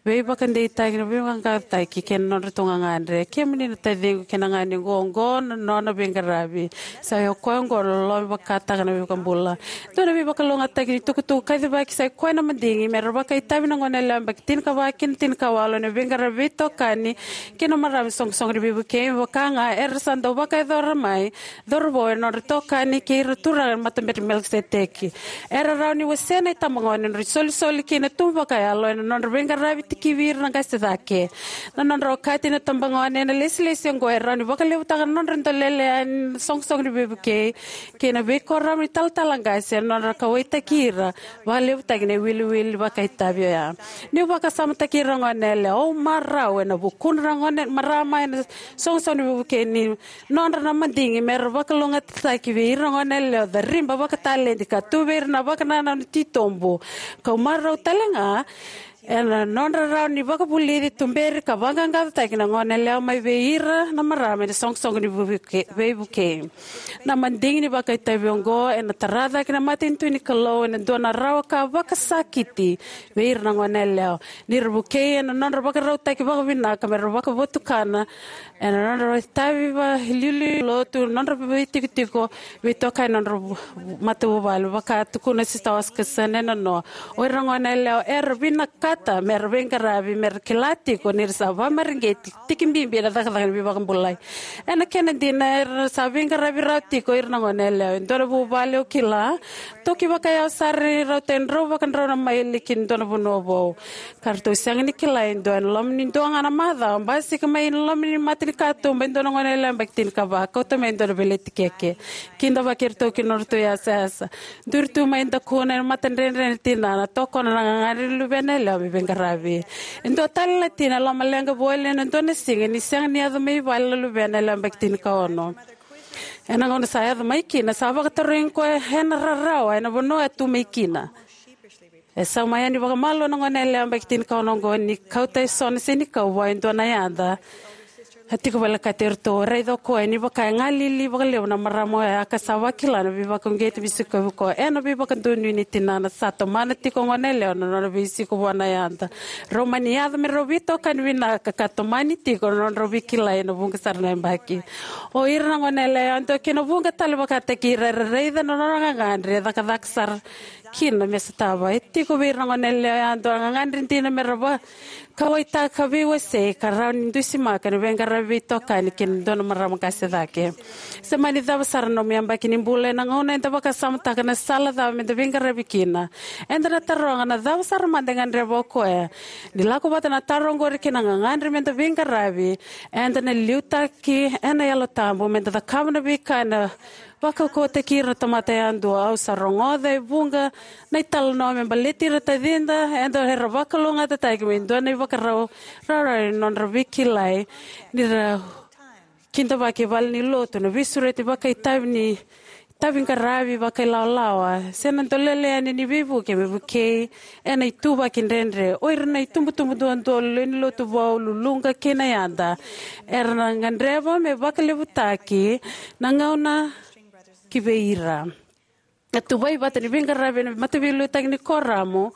Veivakadeitaki, na veivakaqaqacotaki kei na nodratou gagadre. Kemuni na taciqu kei na ganequ, oqo na nona veiqaravi. Sa i o koya oqo na loloma vakataka na veivakabula. Dua na veivakalougatataki ni tukutuku kacivaki sa i koya na madigi me ra vakaitavi na gone yalewa baki tinikava kei na tinikawalu ena veiqaravi veitokani kei na marama soqosoqo ni veivukei, vaka ga era sa dau vakayacora mai cauravou ena nodra itokani kei ira turaga ena matabete i Melikiseteki. Era rawa ni wasea na itabagone ena nodra isolisoli kei na tubu vakayalo ena nodra veiqaravi tikivi ira na qase cake. Na nodra okati na itabagone ena ilesilesi oqo e rawa ni vakalevutaka na nodra dolele yani na soqosoqo ni veivukei kei na veikoro ni talatala qase ena nodra kauwaitaki ira, vakalevutaki na iwiliwili vakaitavi oya. Niu vakasamataki ira na gone yalewa, au marau ena vukudra na gone marama ena soqosoqo ni veivukei ni nodra na madigi me ra vakalougatataki vei ira na gone yalewa, cariba vakataledi ka tu vei ira na vakanananu titobu. Kau marau tale ga ena nodra rawa ni vakavulici, tuberi ka vaqaqacotaki na gone yalewa mai vei ira na marama ena soqosoqo ni veivuke-, veivukei. Na madigi ni vakaitavi oqo ena tara cake na matanitu ni Kalou ena dua na rawa ka vakasakiti vei ira na gone yalewa. Ni ra vukei ena nodra vakarautaki vakavinaka me ra vakavotukana ena nodra itavi vakaliuliu ni lotu, nodra veitikotiko, veitokani, nodra vu-, matavuvale, vaka tukuna Sista Oscarson ena noa. O ira na gone yalewa era vinakata me ra veiqaravi, me ra kila tiko ni ra sa vakamareqeti tiki bibi ena cakacaka ni veivakabulai. Ena kena dina, era sa veiqaravi rawa tiko ira na gone yalewa. E dua na vuvale au kila, toki vakayawa sara ni rauta e drau vakadrau na maili ki na dua na vanua vou. Ka ratou sega ni kila e dua ena loma ni dua ga na macawa, basika mai na loma ni mata ni katuba e dua na gone yalewa yabaki tinikava, kauta mai e dua na veleti keke. Kidavaki iratou ki na nodratou yasayasa. Duri tu mai dakuna ena matadredre na tinana, tokona na gagadre ni luvena yalewa me veiqaravi. E dua tale na tina e lomaleqa voli ena dua na siga ni sega ni yaco mai vale na luvena yalewa yabaki tinikaono. Ena gauna sa yaco mai kina, sa vakatarogi koya ena rarawa ena vanua e tu mai kina. E sauma yani vakamalua na gone yalewa yabaki tinikaono oqo ni kauta eso na senikau vua e dua na yada. A tiko volekati iratou, raica o koya ni vaka e galili vakalevu na marama oya ka sa vakila na veivakauqeti me sikovi koya. Ena veivakadonui ni tinana, sa tomana tiko o gone yalewa na nona veisiko vua na yada. Rau mani yaco me rau veitokani vinaka ka tomani tiko na nodrau veikilai ena vuqa sara na yabaki. O ira na gone yalewa yadua kei na vuqa tale vakataki ira era raica na nona gagadre e cakacaka sara kina me sotava. E tiko vei ira na gone yalewa yadua na gagadre dina me ra vakauwaitaka, veiwasei ka rawa ni dusimaka ena veiqaravi veitokani kei na dua na marama qase cake. Se mani cava sara na nomu yabaki ni bula, ena gauna eda vakasamataka na sala cava meda veiqaravi kina, eda na taroga na cava sara mada e gadreva o koya. Ni lako vata na taro oqori kei na gagadre meda veiqaravi, eda na liutaki ena Yalo Tabu meda cakava na veika ena vakaukauwataki ira na tamata yadua. Au sa rogoca e vuqa na italanoa me baleti ira na tacida eda era vakalougatataki me dua na ivakarau rawarawa ni nodra veikilai ni ra kidavaki e vale ni lotu na veisureti vakaitavi ni itavi qaravi vakailawalawa se na dolele yani ni veivuke me vukei ena ituvaki dredre. O ira na itubutubu duadua, lewe ni lotu vou, luluqa kei na yada, era na gadreva me vakalevutaki na gauna ki vei ira. Na tuvai vata ni veiqaravi ena mataveiliutaki ni kuoramu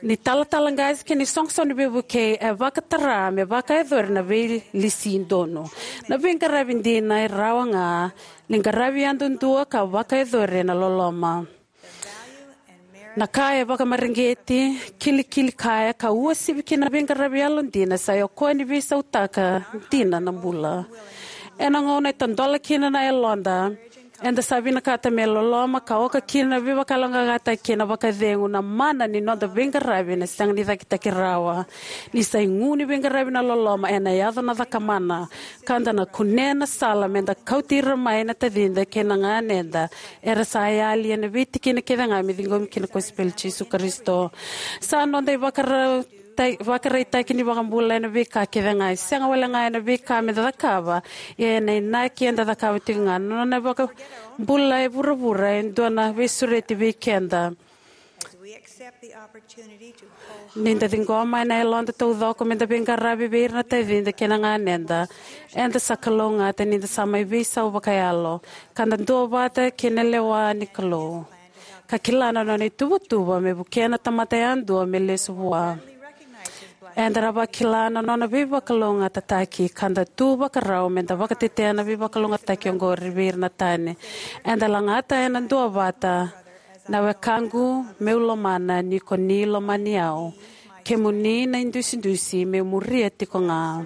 ni talatala qase kei na isoqosoqo ni veivukei e vakatara me vakayacori na veilisi donu. Na veiqaravi dina e rawa ga ni qaravi yadudua ka vakayacori ena loloma. Na ka e vakamareqeti, kilikili kaya ka uasivi kina na veiqaravi yalodina sa i o koya ni veisautaka dina na bula. Ena gauna e tadola kina na yaloda, eda sa vinakata me loloma ka oka kina na veivakayaloqaqataki kei na vakacegu, na mana ni noda veiqaravi ena sega ni cakitaki rawa. Ni sa igu ni veiqaravi na loloma, ena yaco na cakamana, ka da na kunea na sala meda kauti ira mai na tacida kei na ganeda era sa yali ena veitikina kece ga me ciqomi kina na kosipeli i Jisu Karisito. Sa noda ivakarau tai-, vakaraitaki ni vakabula ena veika kece ga. E sega wale ga ena veika me da cakava, ia ena inaki eda cakava tiko ga. Na nona vakabula e vuravura e dua na veisureti vei keda. Ni da ciqoma ena yaloda taucoko me da veiqaravi vei ira na tacida kei na ganeda, eda sa kalougata ni da sa mai veisau vakayalo, ka da duavata kei na lewa ni Kalou, ka kila na nona ituvatuva me vukea na tamata yadua me lesu vua. Eda na vakila na nona veivakalougatataki, ka da tu vakarau me da vakatetea na veivakalougatataki oqori vei ira na tani. Eda lagata ena duavata. Na wekaqu meu lomana, ni ko ni lomani au, kemuni na idusidusi meu muria tiko ga.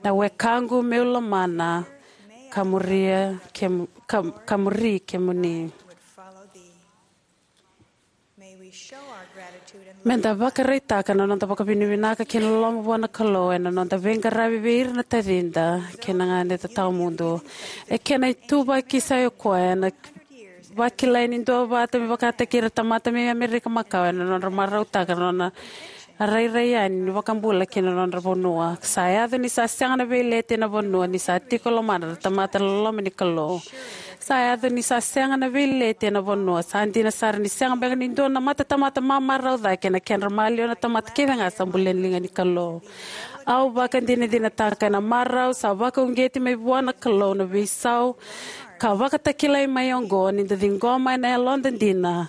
Na wekaqu meu lomana, ka muria kem-, ka, ka muri kemuni. Me da vakaraitaka na noda vakavinavinaka kei na loloma vua na Kalou ena noda veiqaravi vei ira na tacida kei na ganeda tawamudu. E kena ituvaki sa i koya ena vakilai ni duavata me vakataki ira na tamata mai Amerika Makawa ena nodra marautaka na nona rairai yani ni vakabula ki na nodra vanua. Sa yaco ni sa sega na veileti ena vanua ni sa tiko e lomana na tamata na loloma ni Kalou. Sa yaco ni sa sega na veileti ena vanua. Sa dina sara ni sega beka ni dua na matatamata mamarau cake ena kedra maliwa na tamata kece ga sa bulia na liga ni Kalou. Au vakadinadinataka ena marau sa vakauqeti mai vua na Kalou na veisau ka vakatakilai mai oqo ni da ciqoma ena yaloda dina.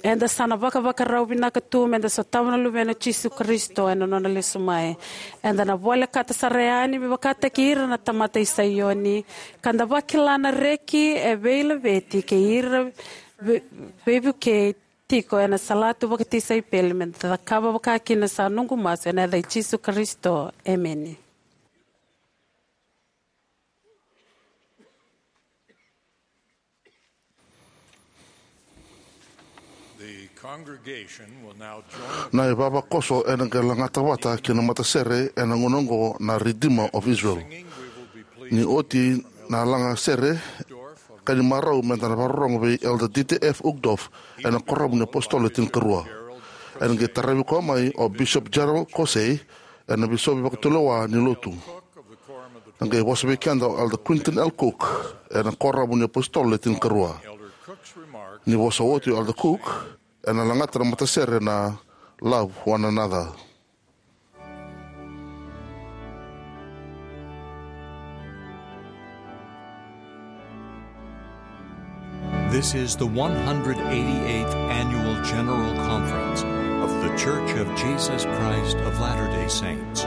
Eda sa na vakavakarau vinaka tu me da sotava na Luvena o Jisu Karisito ena nona lesu mai. Eda na volekata sara yani me vakataki ira na tamata i Saioni, ka da vakila na reki e veilaveti kei ira vei-, veivukei tiko ena salatu vakatisaipeli, me da cakava vakakina sa noqu masu ena yaca i Jisu Karisito. Emeni. The congregation will now join Na ivavakoso ena qai lagata vata kei na matasere ena gauna oqo na Redeemer of Israel. Ni oti na lagasere, ka ni marau me da na vakarorogo vei Elder Dieter F. Uchtdorf ena Kuoramu ni iApositolo Le Tinikarua. Ena qai taravi koya mai o Bishop Gerald Caussé, ena Bisopi Vakatulewa ni Lotu. Na qai vosa vei keda o Elder Quentin L. Cook ena Kuoramu ni iApositolo Le Tinikarua. Ni vosa oti o Elder Cook, ena lagata na matasere na Love One Another. This is the one hundred eighty-eighth Annual General Conference of The Church of Jesus Christ of Latter-day Saints.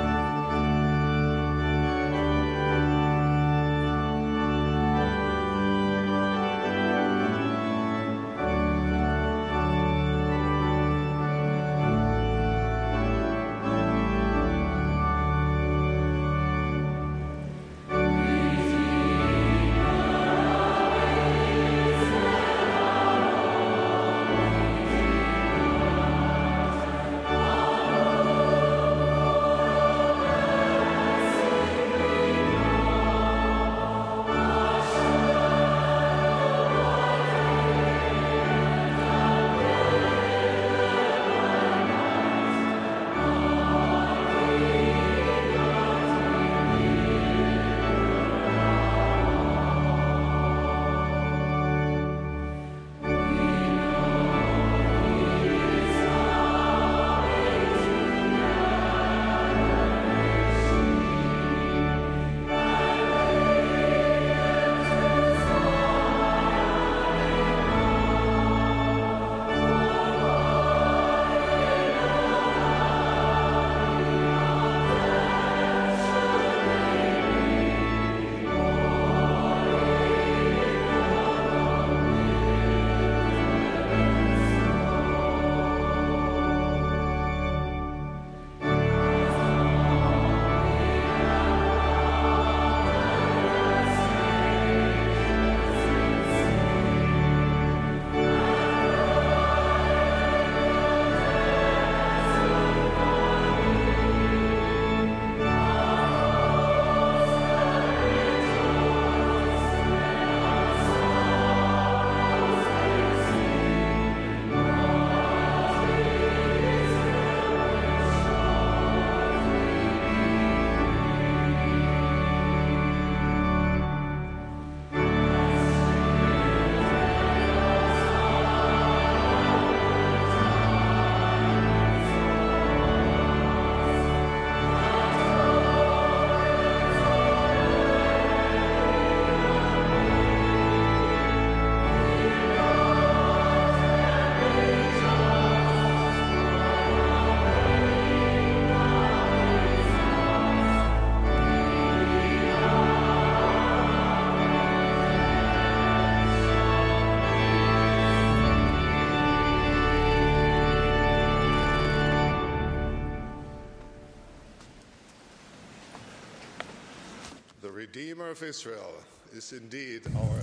Redeemer of Israel is indeed our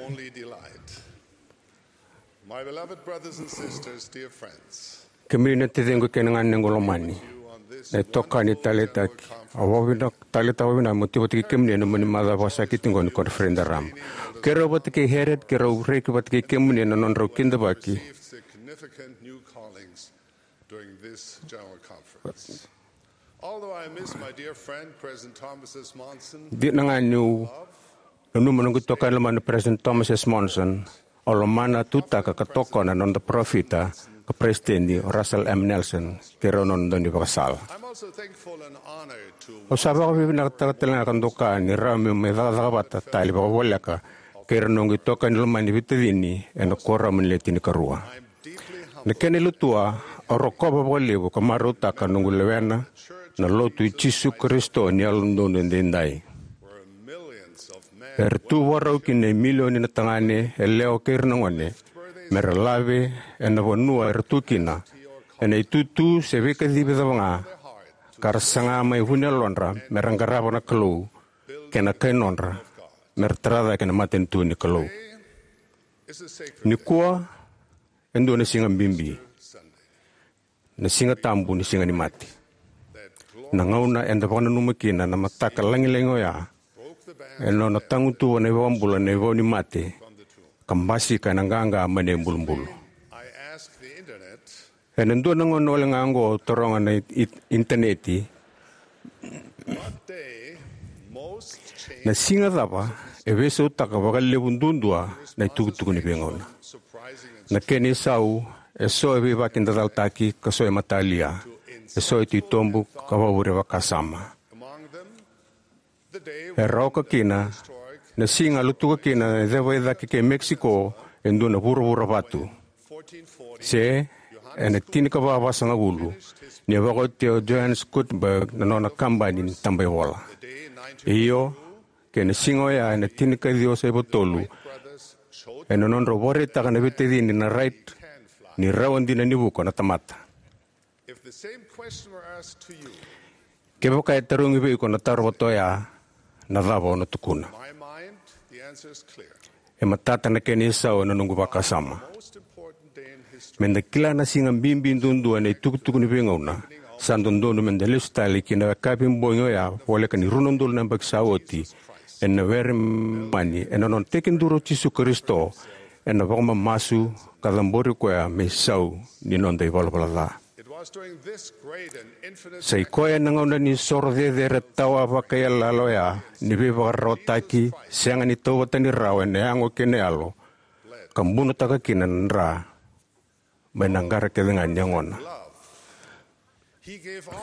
only delight. My beloved brothers and sisters, dear friends, Kemuni na taciqu kei na ganequ lomani, na itokani taleitaki, au vakavinavinaka, taleitaka vakavinavinaka meu tiko vata kei kemuni ena nomuni macawa vakasakiti oqo ni koniferedi raraba. Keirau vata kei Harriet, keirau reki vata kei kemuni ena nodrau kidavaki. Received significant new callings during this general conference. Although I miss my dear friend, President Thomas S. Monson, dina ga niu nanuma noqu itokani lomani o President Thomas S. Monson, au lomana, tutaka ka tokona na noda parofita ka peresitedi o Russell M. Nelson kei rau na nona daunivakasala. I'm also thankful and honored to Au sa vakavinavinakataka tale ga ka doka ni rawa meu mai cakacaka vata tale vakavoleka kei ira na noqu itokani lomani veitacini ena Kuoramu ni Le Tinikarua. Na kena ilutua, au rokova vakalevu ka marautaka noqu lewena na Lotu i Jisu Karisito ni Yalododonu Edaidai, era tu vakarau kina e milioni na tagane, yalewa kei ira na gone, mera lave ena vanua era tu kina, ena itutu se veikacivi cava ga, ka ra saga mai vuniyalodra mera qarava na Kalou kei na kai nodra, mera tara cake na matanitu ni Kalou. Nikua e dua na siga bibi, na Siga Tabu ni Siga ni Mate. Na gauna eda vakananuma kina na mataka lagilagi oya, e nona tagutuva na iVakabula na ivau ni mate, ka basika ena qaqa mai na ibulubulu. Ena dua na gauna wale ga oqo au taroga na i-, i-, initaneti, na siga cava e veisautaka vakalevu duadua na itukutuku ni veigauna? Na kena isau, eso e veivakidacalataki ka so e matalia, eso e titobu ka vakavure vakasama. Era oka kina na siga a lutuka kina na ceva i cake kei Mexico e dua na vuravura vatu, se ena tinikava vasagavulu, ni a vakaotia o Johannes Gutenberg na nona kabani ni tabaivola. Io, kei na siga oya ena tinikaciwa saiva tolu, ena nodrau vakaraitaka na veitacini na Wright ni rawa dina ni vuka na tamata. Kevaka e tarogi vei iko na taro vata oya, na cava o na tukuna? E matata na kena isau ena noqu vakasama. Meda kila na siga bibi duadua ena itukutuku ni veigauna, sa dodonu meda lesu tale ki na wekavi bogi oya, voleka ni rua na udolu na yabaki sa oti, ena were mani, ena nona tekiduru o Jisu Karisito, ena vakamamasu ka cabori koya me isau ni noda ivalavala ca. Sa i koya ena gauna ni soro cecere tawa vakaiyalayala oya ni veivakararawataki sega ni tauvatani rawa ena yago kei na yalo, ka bunotaka kina na dra mai na qara kece ga ni yagona.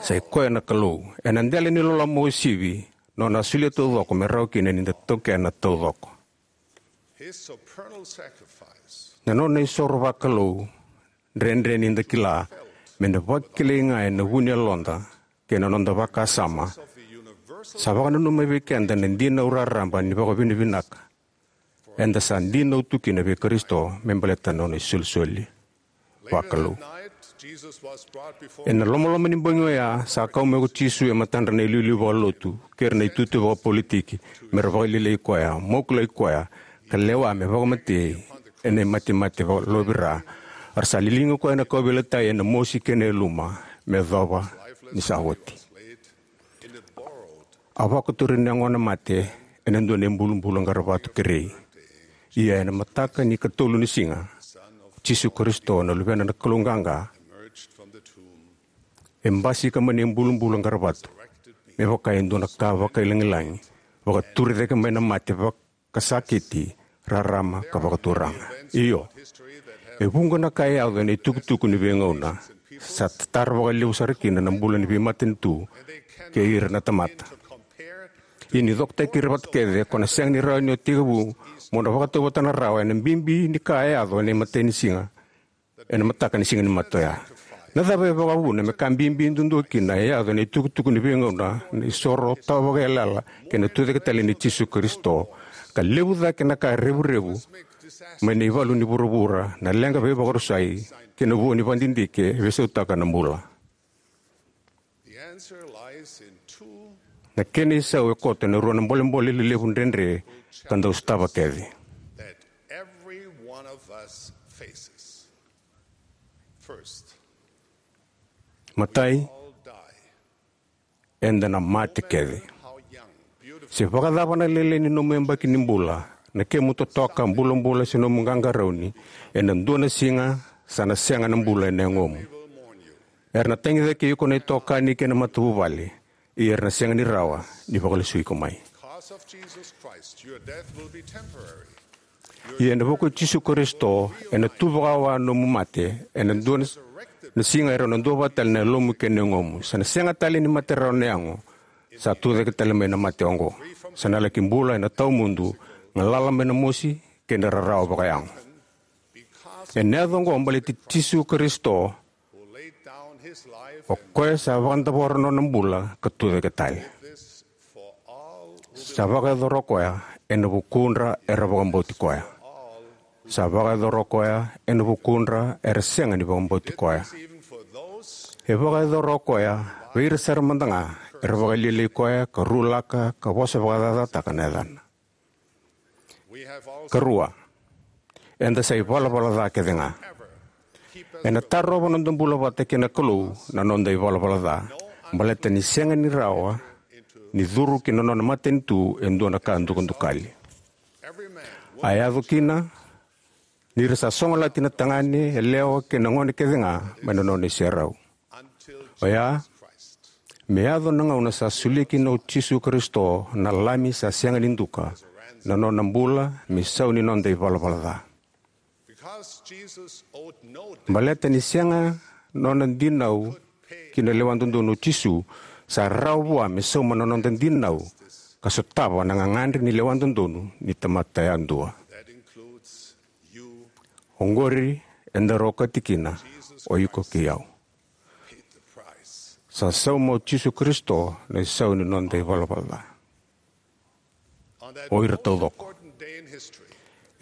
Sa i koya na Kalou, ena dela ni loloma uasivi, nona a solia taucoko me rawa kina ni da taukena taucoko. Na nona isoro vakalou, dredre ni da kila, me na vakilai ga ena vu ni yaloda kei na noda vakasama, sa vakananuma vei keda na dinau raraba ni vakavinavinaka eda sa dinau tu kina vei Karisito me baleta na nona isolisoli vakalou. Ena lomaloma ni bogi oya, sa kau mai ko Jisu e matadra na iliuliu vakalotu kei ira na itutu vakapolitiki, me ra vakalialiai koya, mokulaki koya, ka lewa me vakamatei ena imatemate vakalovira. A ra sa liligi koya ena kauveilatai ena mosi kei na yaluma me yacova ni sa oti. A vakaturi na yagona mate ena dua na ibulubulu qaravatu kerei. Ia ena mataka ni katolu ni siga, Jisu Karisito na Luvena na Kalou Qaqa e basika mai na ibulubulu qaravatu me vaka e dua na ka vakailagilagi, vakaturi cake mai na mate vakasakiti, rarama ka vakaturaga. Io, e vuqa na ka e yaco ena itukutuku ni veigauna sa tatara vakalevu sara kina na bula ni veimatanitu kei ira na tamata. Ia ni cokotaki ira vata kece, ko na sega ni rawa ni o tekivu mo na vakatauvatana rawa ena bibi ni ka e yaco ena imatai ni siga, ena mataka ni siga ni mate oya. Na cava e vakavuna me ka bibi duadua kina e yaco ena itukutuku ni veigauna, na isoro tawa vakaiyalayala kei na tucake tale nei Jisu Karisito, ka levu cake na ka revurevu mai na ivalu ni vuravura, na leqa veivakarusai kei na vua ni vakadidike e veisautaka na bula? Na kena isau e koto ena rua na bolebole lelevu dredre ka dau sotava kece. Matai, eda na mate kece. Se vakacava na lailai ni nomu yabaki ni bula, na kemu totoka, bulabula se nomu qaqarauni, ena dua na siga sa na sega na bula ena yagomu. Era na tagicaki iko na itokani kei na matavuvale, ia era na sega ni rawa ni vakalesui iko mai. Ia ena vuku i Jisu Karisito, ena tu vakawa nomu mate, ena dua na, na siga e rau na duavata tale na yalomu kei na yagomu. Sa na sega tale ni mate rawa na yago, sa tucake tale mai na mate oqo. Sa na laki bula ena tawamudu, galala mai na mosi kei na rarawa vakayago. Ena yaco oqo baleti Jisu Karisito, o koya sa vakadavora nona bula ka tucake tale. Sa vakayacora o koya ena vukudra era vakabauti koya. Sa vakayacora o koya ena vukudra era sega ni vakabauti koya. E vakayacora o koya vei ira sara mada ga era vakalialiai koya ka rulaka ka vosa vakacacataka na yacana. Karua, eda sa ivalavala ca kece ga. Ena tarova noda bula vata kei na Kalou na noda ivalavala ca, baleta ni sega ni rawa ni curu ki na nona matanitu e dua na ka dukadukali. A yaco kina ni ra sa sogolati na tagane, yalewa kei na gone kece ga mai na nona iserau. Oya, me yaco na gauna sa solia kina o Jisu Karisito, na Lami sa sega ni duka, na nona bula me sau ni noda ivalavala ca. Baleta ni sega nona dinau ki na lewa dodonu o Jisu, sa rawa vua me sauma na noda dinau ka sotava na gagadre ni lewa dodonu ni tamata yadua. Oqori e daru okati kina o iko kei au. Sa sauma o Jisu Karisito na isau ni noda ivalavala ca. O ira taucoko.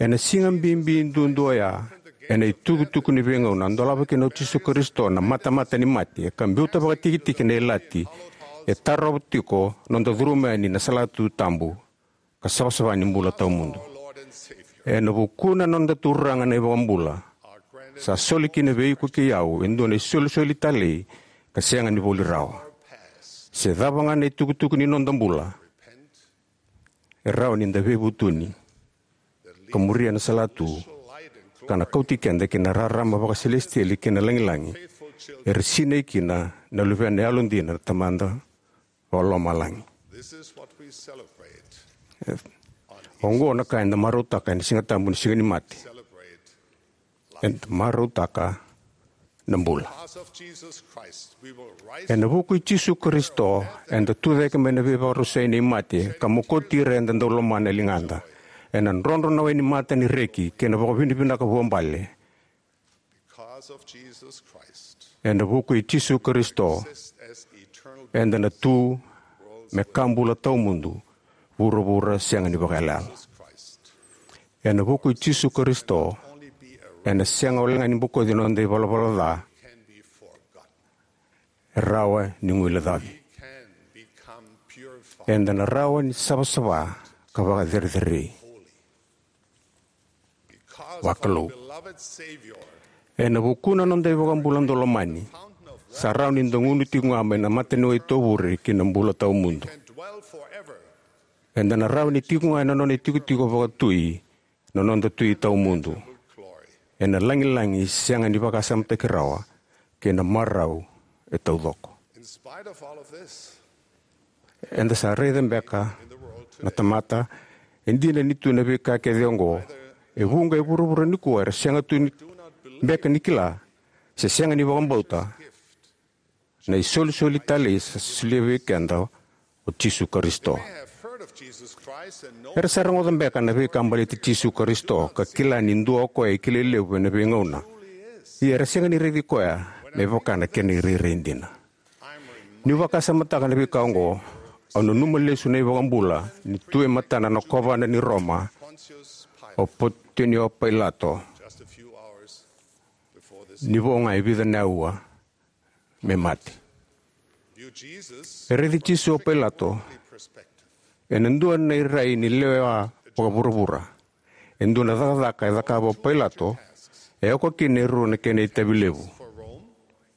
Ena siga bibi duadua oya, ena itukutuku ni veigauna, a dolava kina o Jisu Karisito na matamata ni mate, ka biuta vakatikitiki na ilati, e tarova tiko noda curuma yani na salatu tabu ka savasava ni bula tawamudu. Ena vukuna noda Turaga na iVakabula, sa soli kina vei iko kei au e dua na isolisoli talei ka sega ni voli rawa. Se cava ga na itukutuku ni noda bula, e rawa ni da veivutuni ka muria na salatu ka na kauti keda ki na rarama vakaselesitieli kei na lagilagi, era sinai kina na luvena yalodina na Tamada Vakalomalagi. Oqo na ka eda marautaka ena Siga Tabu ni Siga ni Mate. Eda marautaka na bula. Ena vuku i Jisu Karisito, eda tucake mai na veivakarusai nei mate ka mokoti ira eda dau lomana e ligada. Ena drodro na wai ni mata ni reki kei na vakavinavinaka vuabale. Ena vuku i Jisu Karisito, eda na tu me ka bula tawamudu, vuravura sega ni vakayalayala. Ena vuku i Jisu Karisito, ena sega walega ni bokoci na noda ivalavala ca, e rawa ni guilecavi. Eda na rawa ni savasava ka vakacerecerei. Vakalou. Ena vukuna noda iVakabula dau lomani, sa rawa ni da gunu tiko ga mai na mataniwai tovure ki na bula tawamudu. Eda na rawa ni tiko ga ena nona itikotiko vakatui, na noda Tui tawamudu, ena lagilagi sega ni vakasamataki rawa, kei na marau e taucoko. Eda sa raica beka na tamata, e dina ni tu na veika kece oqo, e vuqa e vuravura nikua era sega tu ni beka ni kila, se sega ni vakabauta na isolisoli talei sa solia vei keda o Jisu Karisito. Era sa rogoca beka na veika baleti Jisu Karisito ka kila ni dua o koya e kilai levu ena veigauna. Ia era sega ni raici koya me vaka na kena irairai dina. Niu vakasamataka na veika oqo, au nanuma lesu na iVakabula ni tu e matana na kovana ni Roma o Potiunio Pailato, ni vo ga e vica na aua me mate. E raici Jisu o Pailato ena dua na irai ni lewa vakavuravura. E dua na cakacaka e cakava o Pailato e oka kina e rua na kena itavi levu: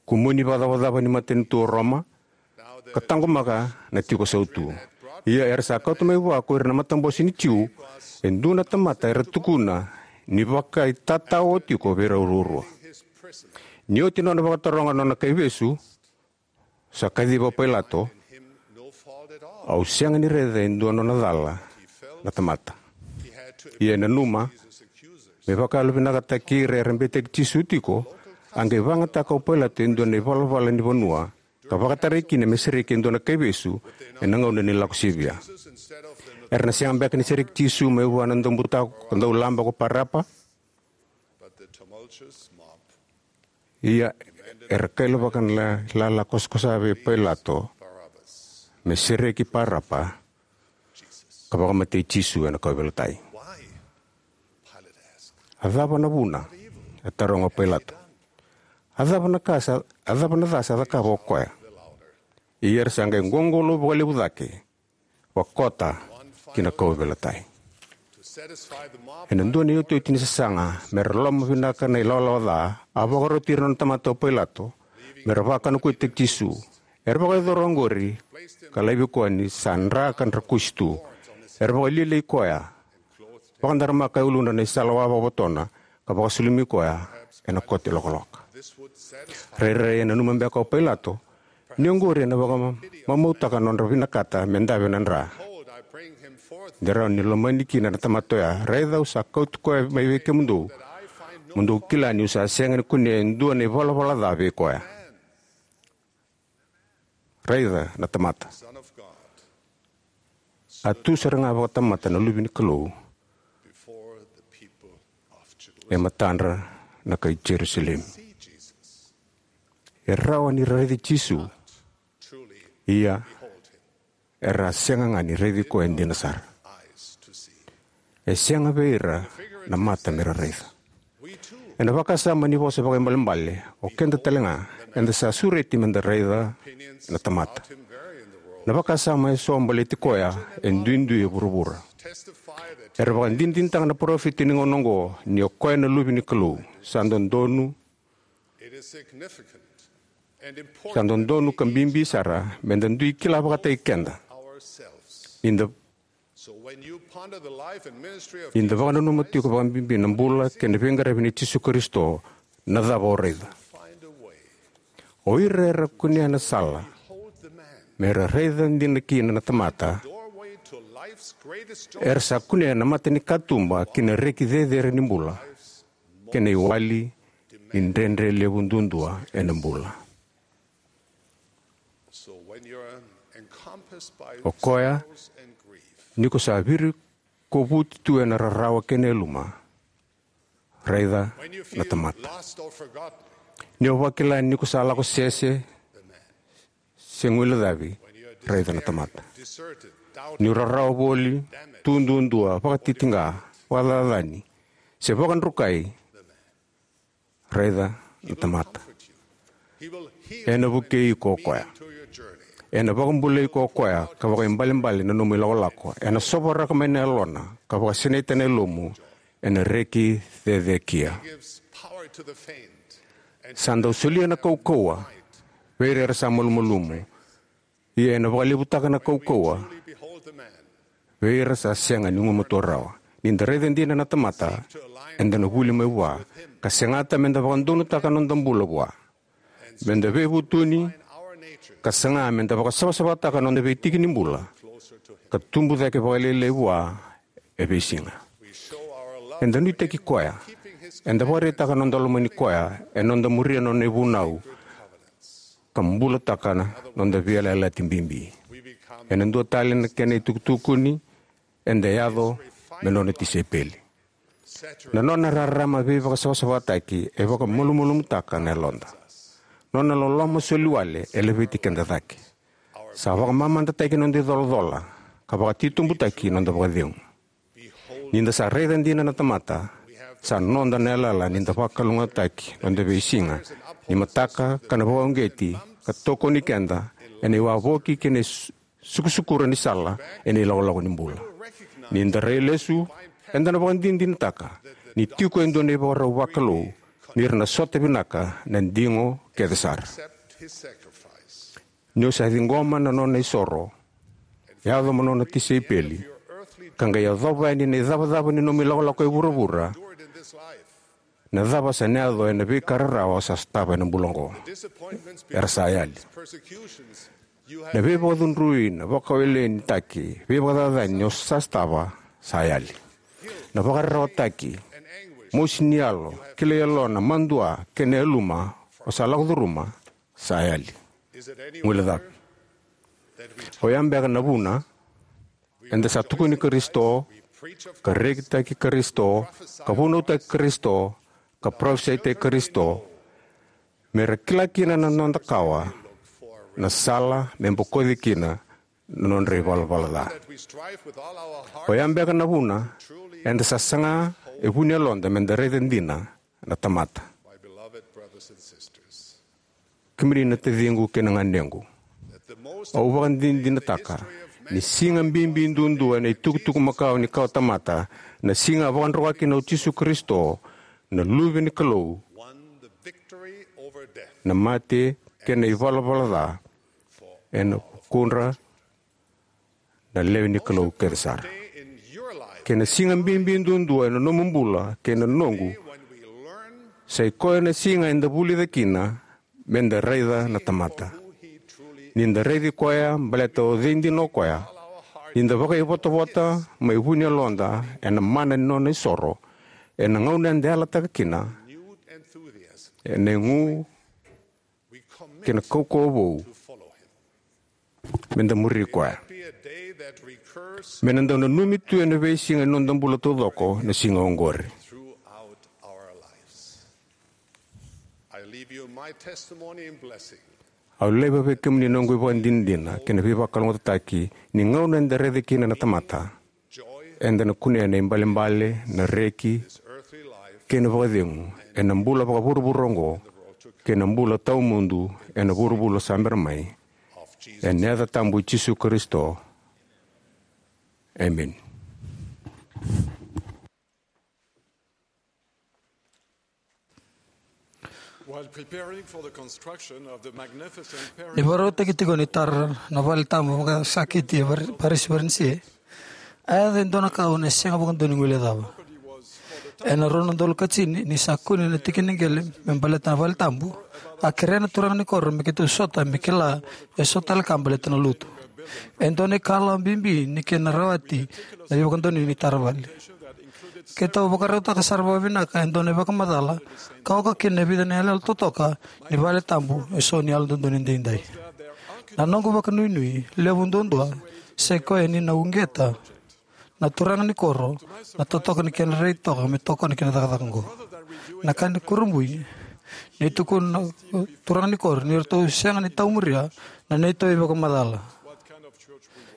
kumuni vakacavacava ni matanitu o Roma, ka taqomaka na tiko sautu. Ia era sa kauta mai vua ko ira na matabose ni Jiu e dua na tamata era tukuna ni vakaitatao tiko vei rau ruarua. Ni oti nona vakataroga nona kaivesu, sa kaciva o Pailato, "Au sega ni raica e dua nona cala na tamata." Ia e nanuma, me vakayalovinakataki ira era beitaki Jisu tiko, a qai vakayagataka o Pailato e dua na ivalavala ni vanua ka vakatarai kina me sereki e dua na kaivesu ena gauna ni Lako Sivia. Era na sega beka ni sereki Jisu mai vua na daubutako ka daulaba ko Parapa? Ia era kailavaka na lala kosakosa vei Pailato me sereki Parapa ka vakamatei Jisu ena kauveilatai. "A cava na vuna?" e taroga o Pailato. "A cava na ka sa, a cava na ca sa cakava o koya?" Ia era sa qai qoqolou vakalevu cake, vakota ki na kauveilatai. Ena dua na iotioti ni sasaga me ra lomavinaka na ilawalawa ca, a vakaroti ira na nona tamata o Pailato me ra vakanakuitaki Jisu. Era vakayacora oqori ka laivi koya ni sa dra ka drakusi tu. Era vakalialiai koya, vakadaramaka e uluna na isala wa vakavotona, ka vakasulumi koya ena kote lokaloka. Rairai e nanuma beka o Pailato ni oqori ena vakamamautaka na nodra vinakata me dave na dra. "De rawa ni lomani kina na tamata oya. Raica, au sa kauti koya mai vei kemudou, mo dou kila niu sa sega ni kunea e dua na ivalavala ca vei koya." Raica na tamata. A tu sara ga vakatamata na Luve ni Kalou e matadra na kai Jerusalemi. E rawa ni ra raici Jisu, ia era a sega ga ni raici koya dina sara. E sega vei ira na mata me ra raica. Ena vakasama ni vosa vakaibalebale, o keda tale ga eda sa sureti me da raica na tamata. Na vakasama e so baleti koya e duidui e vuravura. Era vakadinadinataka na parofita ni gauna oqo ni o koya na Luve ni Kalou. Sa dodonu, sa dodonu ka bibi sara me da dui kila vakataki keda ni da, ni da vakananuma tiko vakabibi na bula kei na veiqaravi nei Jisu Karisito. Na cava o raica? O ira era kunea na sala me ra raica dina kina na tamata, era sa kunea na mata ni katuba ki na reki cecere ni bula kei na iwali ni dredre levu duadua ena bula. O koya, ni ko sa virikovuti tu ena rarawa kei na yaluma, raica na tamata. Ni o vakila ni ko sa lako sese se guilecavi, raica na tamata. Ni o rarawa voli, tu duadua, vakatitiqa, vakacacani, se vakadrukai, raica na tamata. Ena vukei iko o koya. Ena vakabulai iko o koya ka vakaibalebale na nomu ilakolako. Ena sovaraka mai na yalona ka vakasinaita na yalomu ena reki cecekia. Sa dau solia na kaukauwa vei ira era sa malumalumu, ia ena vakalevutaka na kaukauwa vei ira sa sega ni gumatua rawa. Ni da raica dina na tamata, eda na vuli mai vua ka segata me da vakadonutaka na noda bula vua, me da veivutuni, ka saga me da vakasavasavataka na noda veitiki ni bula ka tubu cake vakalailai vua e veisiga. Eda nuitaki koya. Eda vakaraitaka na noda lomani koya ena noda muria na nona ivunau ka bulataka na noda veiyalayalati bibi. Ena dua tale na kena itukutukuni, eda yaco me nona tisaipeli. Na nona rarama veivakasavasavataki e vakamalumalumutaka na yaloda. Nona loloma soliwale e laveti keda cake. Sa vakamamadataki na noda icolacola ka vakatitobutaki na noda vakacegu. Ni da sa raica dina na tamata, sa noda na yalayala ni da vakalougatataki na noda veisiga ni mataka ka na vakauqeti ka tokoni keda ena iwavoki kei na su-, sukusukura ni sala ena ilakolako ni bula. Ni da rai lesu, eda na vakadinadinataka ni tiko e dua na ivakarau vakalou, ni ra na sota vinaka na digo kece sara. Ni o sa ciqoma na nona isoro, yaco mo nona tisaipeli, ka qai yacova yani na icavacava ni nomu ilakolako e vuravura, na cava sa na yaco ena veika rarawa sa sotava ena bula oqo? Era sa yali. Na veivakacudrui, na vakaweleinitaki, veivakacacani o sa sotava, sa yali. Na vakararawataki, mosi ni yalo, kilai yalona, madua, kei na yaluma o sa lako curuma, sa yali. Guilecava. O ya beka na vuna eda sa tukuni Karisito, ka rekitaki Karisito, ka vunautaki Karisito, ka parofisaitaki Karisito, me ra kila kina na noda kawa na sala me bokoci kina na nodra ivalavala ca? O ya beka na vuna eda sa saga e vu ni yaloda me da raica dina na tamata? Kemuni na taciqu kei na ganequ, au vakadinadinataka ni siga bibi duadua ena itukutuku makawa ni kawa tamata, na siga a vakadruka kina o Jisu Karisito, na Luve ni Kalou, na mate kei na ivalavala ca ena vukudra na lewe ni Kalou kece sara. Kei na siga bibi duadua ena nomu bula kei na noqu, sa i koya na siga eda vulica kina me da raica na tamata. Ni da raici koya baleta o cei dina o koya, ni da vakaivotavota mai vu ni yaloda ena mana ni nona isoro, ena gauna eda yalataka kina ena igu kei na kaukauwa vou, me da muri koya. Me na dau nanumi tu ena veisiga ni noda bula taucoko na siga oqori. Au laiva vei kemuni na noqu ivakadinadina kei na veivakalougatataki ni gauna eda raica kina na tamata, eda na kunea na ibalebale, na reki, kei na vakacegu ena bula vakavuravura oqo, kei na bula tawamudu ena vuravura sa bera mai, ena yaca tabu i Jisu Karisito. Emeni. While preparing for the construction of the magnificent Ni vakarautaki tiko ni tara na vale tabu vakasakiti e Var-, Paris, Varanise, a yaco e dua na ka au na sega vakadua ni guilecava. Ena rua na udolu ka tini, ni sa kune na tikiniqele me baleta na vale tabu, a kerea na turaga ni koro me keitou sota me kila eso tale ka baleta na lotu. E dua na ikalawa bibi ni kena rawati na veivakadonui ni tara vale. Keitou vakarautaka sara vakavinaka e dua na ivakamacala ka oka kina e vica na iyaloyalo totoka ni vale tabu eso ni Yalododonu Edaidai. Na noqu vakanuinui levu duadua sa i koya ni na uqeta na turaga ni koro na totoka ni kena rai toka me tokona kina cakacaka oqo. Na ka ni kurabui, ni tukuna na turaga ni koro ni ratou sega ni taumuria na neitou ivakamacala.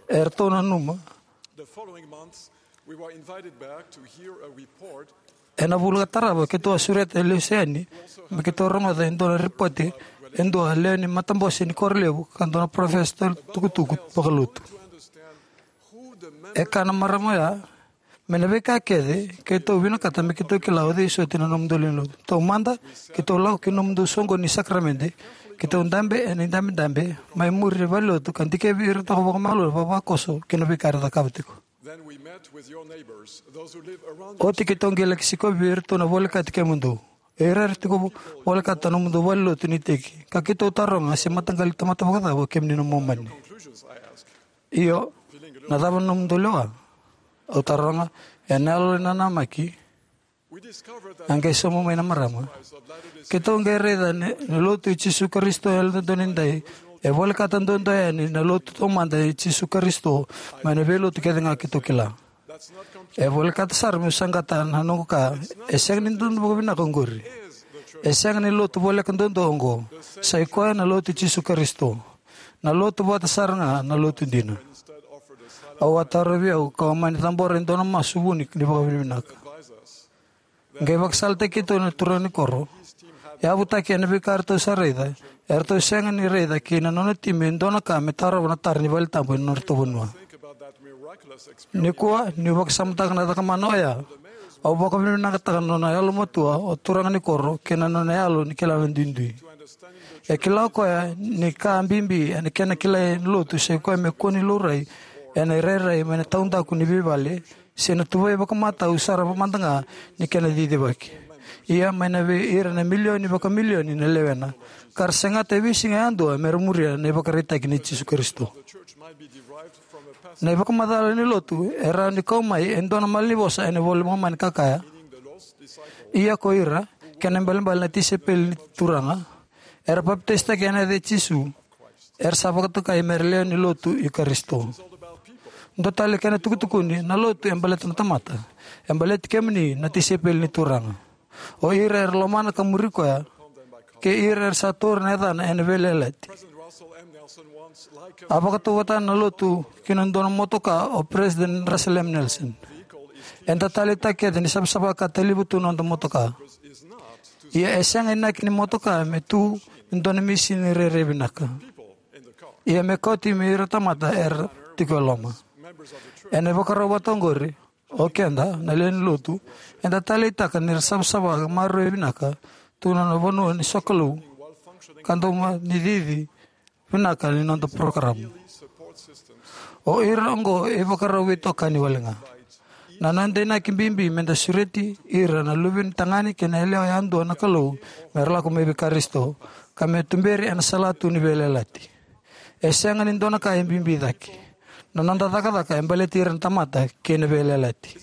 Eratou nanuma. The following months, we were invited back to hear a report. Ena vula ka tarava, keitou a sureta e lesu yani me keitou rogoca e dua na ripote e dua lewe ni matabose ni koro levu ka dua na parofesa tukutuku vakalotu. E kaya na marama oya, mai na veika kece keitou vinakata me keitou kila o cei soti na nomudou lewe ni lotu. Taumada, keitou lako ki nomudou soqoni ni sakaramede, keitou dabe ena idabedabe, mai muri e valenilotu ka dikevi ira toka vakamalua, vakavakoso ki na veika era cakava tiko. Then we met with your neighbors, those who live around Oti keitou qai laki sikovi vei iratou na volekati kemudou. O ira era tiko vo-, volekata na nomudou valenilotu ni iteki. Ka keitou taroga se mataqali tamata vakacava o kemuni na Momani. Io, na cava na nomudou lewa? Au taroga, ena yalo ni nanamaki. A qai sauma mai na marama. Keitou qai raica ni, ni lotu i Jisu Karisito Yalododonu Edaidai e volekata duadua yani na lotu taumada i Jisu Karisito mai na veilotu kece ga keitou kila. E volekata sara meu saqata na noqu kaya, e sega ni dodonu vakavinaka oqori. E sega ni lotu voleka duadua oqo. Sa i koya na lotu i Jisu Karisito. Na lotu vata sara ga na lotu dina. Au a tarovi au kau mani cabora e dua na masu vuni ni vakavinavinaka. Qai vakasalataki keitou na turaga ni koro. E yavutaki ena veika eratou sa raica, Eratou sega ni raica kei na nona timi e dua na ka me tarova na tara ni vale tabu ena nodratou vanua. Nikua, niu vakasamataka na cakamana oya, au vakavinavinakataka na nona yalomatua o turaga ni koro kei na nona yalo ni kila na duidui. E kila o koya ni ka bibi ena kena kilai na lotu sai koya me kua ni laurai ena irairai mai na taudaku ni veivale, se na tuvai vakamatau sara mada ga ni kena cicivaki. Ia mai na vei ira na milioni vakamilioni na lewena, ka ra segata e veisiga yadua me ra muria na ivakaraitaki nei Jisu Karisito. Na ivakamacala ni lotu e rawa ni kau mai e dua na malanivosa ena iVola i Momani ka kaya, ia ko ira, kena ibalebale na tisaipeli ni Turaga, era papitaisotaki ena yaca i Jisu, era sa vakatokai me ra lewe ni lotu i Karisito. Dua tale kena tukutukuni, na lotu e baleta na tamata. E baleti kemuni na tisaipeli ni Turaga, o ira era lomana ka muri koya, kei ira era sa taura na yacana ena veiyalayalati. A vakatauvatana na lotu ki na dua na motoka o President Russell M. Nelson. Eda taleitaka kece ni savasava ka taliva tu na noda motoka. Ia e sega inaki ni motoka me tu me dua na misini rairai vinaka. Ia me kauti me ira tamata era tiko e loma. Ena ivakarau vata oqori, o keda na lewe ni lotu, eda taleitaka ni ra savasava ka maroroi vinaka tu na nona vanua ni sokalou ka doma ni cici vinaka ni noda porokaramu. O ira oqo e ivakarau veitokani wale ga. Na noda inaki bibi meda sureti ira na luve ni tagane kei na yalewa yadua na Kalou me ra lako mai vei Karisito, ka me tuberi ena salatu ni veiyalayalati. E sega ni dua na ka e bibi cake. Na noda cakacaka e baleti ira na tamata kei na veiyalayalati.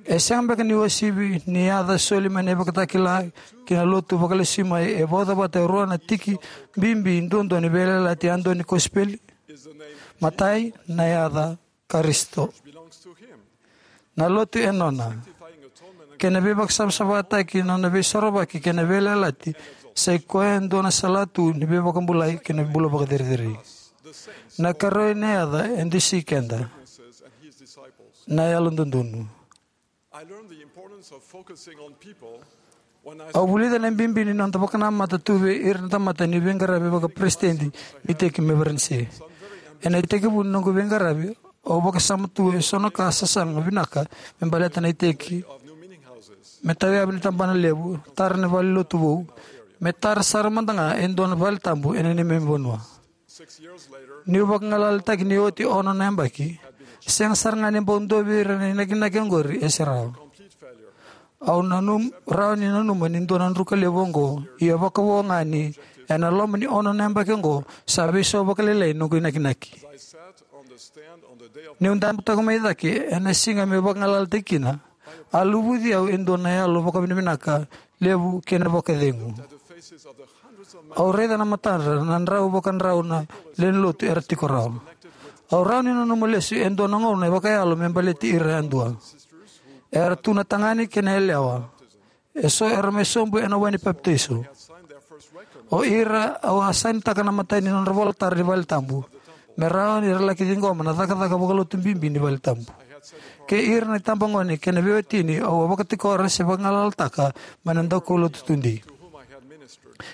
E sega beka ni uasivi ni yaca soli mai na ivakatakila ki na lotu vakalesui mai e vauca vata e rua na tiki bibi duadua ni veiyalayalati yadua ni kosipeli? Matai, na yaca Karisito. Na lotu e nona. Kei na veivakasavasavataki, nona veisorovaki kei na veiyalayalati, sai koya e dua na salatu ni veivakabulai kei na bula vakacerecerei. Na ikarua ni yaca e dusi keda, na yalododonu. Au vulica na bibi ni noda vakanamata tu vei ira na tamata niu veiqaravi vakaperesitedi ni iteki mai Varanise. Ena itekivu ni noqu veiqaravi, au vakasama tu eso na ka sasaga vinaka me baleta na iteki, me tauyavu ni tabana levu, tara na valenilotu vou, me tara sara mada ga e dua na vale tabu ena neimami vanua. Niu vakagalalataki ni oti ono na yabaki, sega sara ga ni bau dua vei ira na inakinaki oqori e serau. Au nanum, rawa ni nanuma ni dua na druka levu oqo, ia vakavo ga ni ena loma ni ono na yabaki oqo, sa veisau vakalailai noqu inakinaki. Niu dabe toka mai cake ena siga meu vakagalalataki kina, a luvuci au e dua na yalo vakavinavinaka levu kei na vakacegu. Au raica na matadra na drau vakadrau na lewe ni lotu era tiko rawa. Au rawa ni nanuma lesu e dua na gauna e vakayalo me baleti ira yadua. Era tu na tagane kei na yalewa. Eso era mai sobu ena wai ni papitaiso. O ira au a sainitaka na imatai ni nodra vola tara ni vale tabu, me rawa ni ra laki ciqoma na cakacaka vakalotu bibi ni vale tabu. Kei ira na itabagone kei na veiwatini au a vakatikora se vakagalalataka mai na daukaulotu tudei.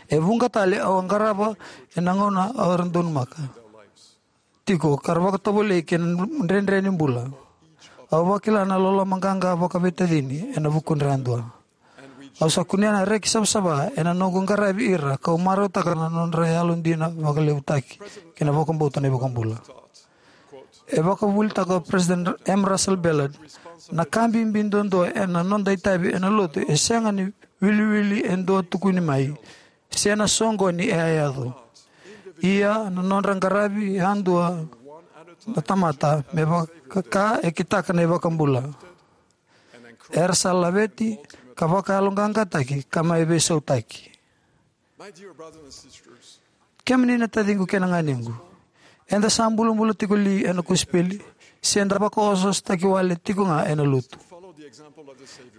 E vuqa tale au a qarava ena gauna au era donumaka tiko ka ra vakatovolei kei na dredre ni bula. Au vakila na loloma qaqa vakaveitacini ena vukudra yadua. Au sa kunea na reki savasava ena noqu qaravi ira, kau marautaka na nodra yalodina, vakalevutaki kei na vakabauta na iVakabula. E vakavuvulitaka o President M. Russell Ballard, na ka bibi duadua ena noda itavi ena lotu e sega ni wiliwili e dua tukuni mai, se na soqoni e a yaco. Ia na nodra qaravi yadua na tamata me vaka e kitaka na iVakabula. Era sa laveti ka vakayaloqaqataki ka mai veisautaki. Kemuni na taciqu kei na ganequ, eda sa bulabula tiko li ena kosipeli, se da vakaosoosotaki wale tiko ga ena lotu?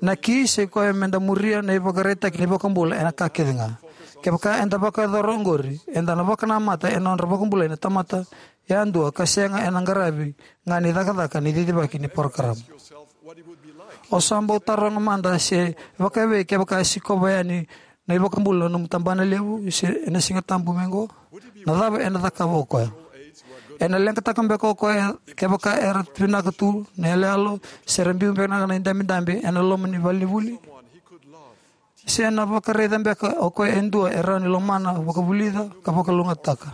Na ki sai koya meda muria na ivakaraitaki ni iVakabula ena ka kece ga. Kevaka eda vakayacora oqori, eda na vakanamata ena nodra vakabulai na tamata yadua ka sega ena qaravi ga ni cakacaka ni cicivaki ni porokaramu. O sa bau taroga mada se vakaevei kevaka e sikova yani na iVakabula na nomu tabana levu se ena Siga Tabu mai oqo? Na cava ena cakava o koya? Ena leqataka beka o koya kevaka era vinaka tu na iyaloyalo se ra biu beka na idabedabe ena loma ni valenivuli? Se ena vakaraica beka o koya e dua e rawa ni lomana, vakavulica, ka vakalougatataka?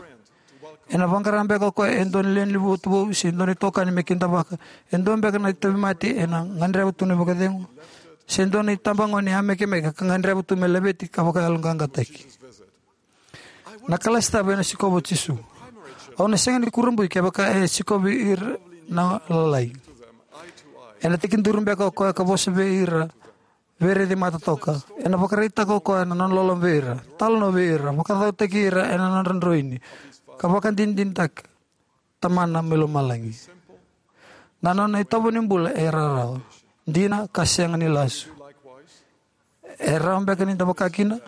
Ena vaqara beka o koya e dua na lewe ni lotu vou se dua na itokani me kidavaka? E dua beka na tauvimate ena gadreva tu na vakacegu, se dua na itabagone e yamekemeke ka gadreva tu me laveti ka vakayaloqaqataki? Na kalasi cava ena sikova o Jisu? Au na sega ni kurabui kevaka e sikovi ira na lalai. Ena tekiduru beka o koya ka vosa vei ira veiraici mata toka? Ena vakaraitaka o koya na nona loloma vei ira, talanoa vei ira, vakacautaki ira ena nodra droini, ka vakadinadinataka Tamana mai lomalagi? Na nona itovo ni bula e rawarawa, dina, ka sega ni lasu. E rawa beka ni da vakakina?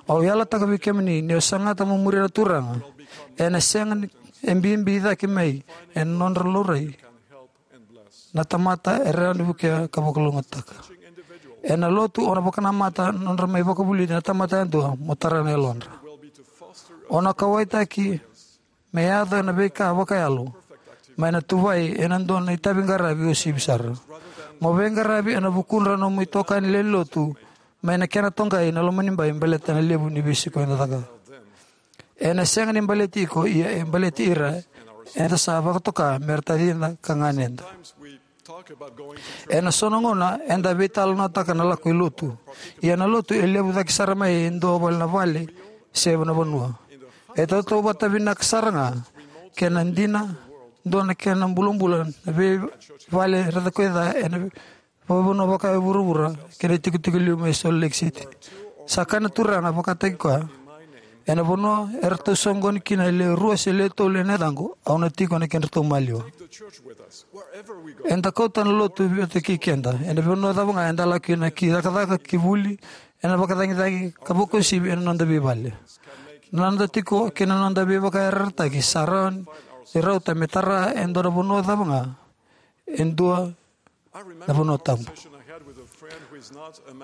Au yalataka vei kemuni, ni o sagata mo muria na Turaga, ena sega ni, e bibi cake mai ena nodra laurai na tamata e rawa ni vukea ka vakalougatataka. Ena lotu, o na vakanamata nodra mai vakavulici na tamata yadua mo tara na yalodra. O na kauwaitaki me yaco na veika vakayalo mai na tuvai ena dua na itavi qaravi uasivi sara. Mo veiqaravi ena vukudra nomu itokani lewe ni lotu mai na kena toqai na lomanibai baleta na levu ni veisiko eda cakava. Ena sega ni baleti iko, ia e baleti ira eda sa vakatoka me ra tacida ka ganeda. Ena so na gauna eda veitalanoataka na lako i lotu. Ia na lotu e levu cake sara mai e dua vale na vale se na vanua. E tautauvata vinaka sara ga, kena dina, dua na kena bulabula na veivale raica koya ca ena vakavanua vaka e vuravura kei na itikotiko liu mai Salt Lake City. Sa kaya na Turaga vakataki koya, ena vanua eratou soqoni kina e lewe rua se lewe tolu ena yacaqu, au na tiko ena kedratou maliwa. Eda kauta na lotu vata kei keda ena vanua cava ga eda lako kina, ki cakacaka, ki vuli, ena vakacagicagi, ka vakauasivi ena noda veivale. Na noda tiko kei na noda veivakayarayarataki sa rawa ni rauta me tara e dua na vanua cava ga, e dua na vanua tabu.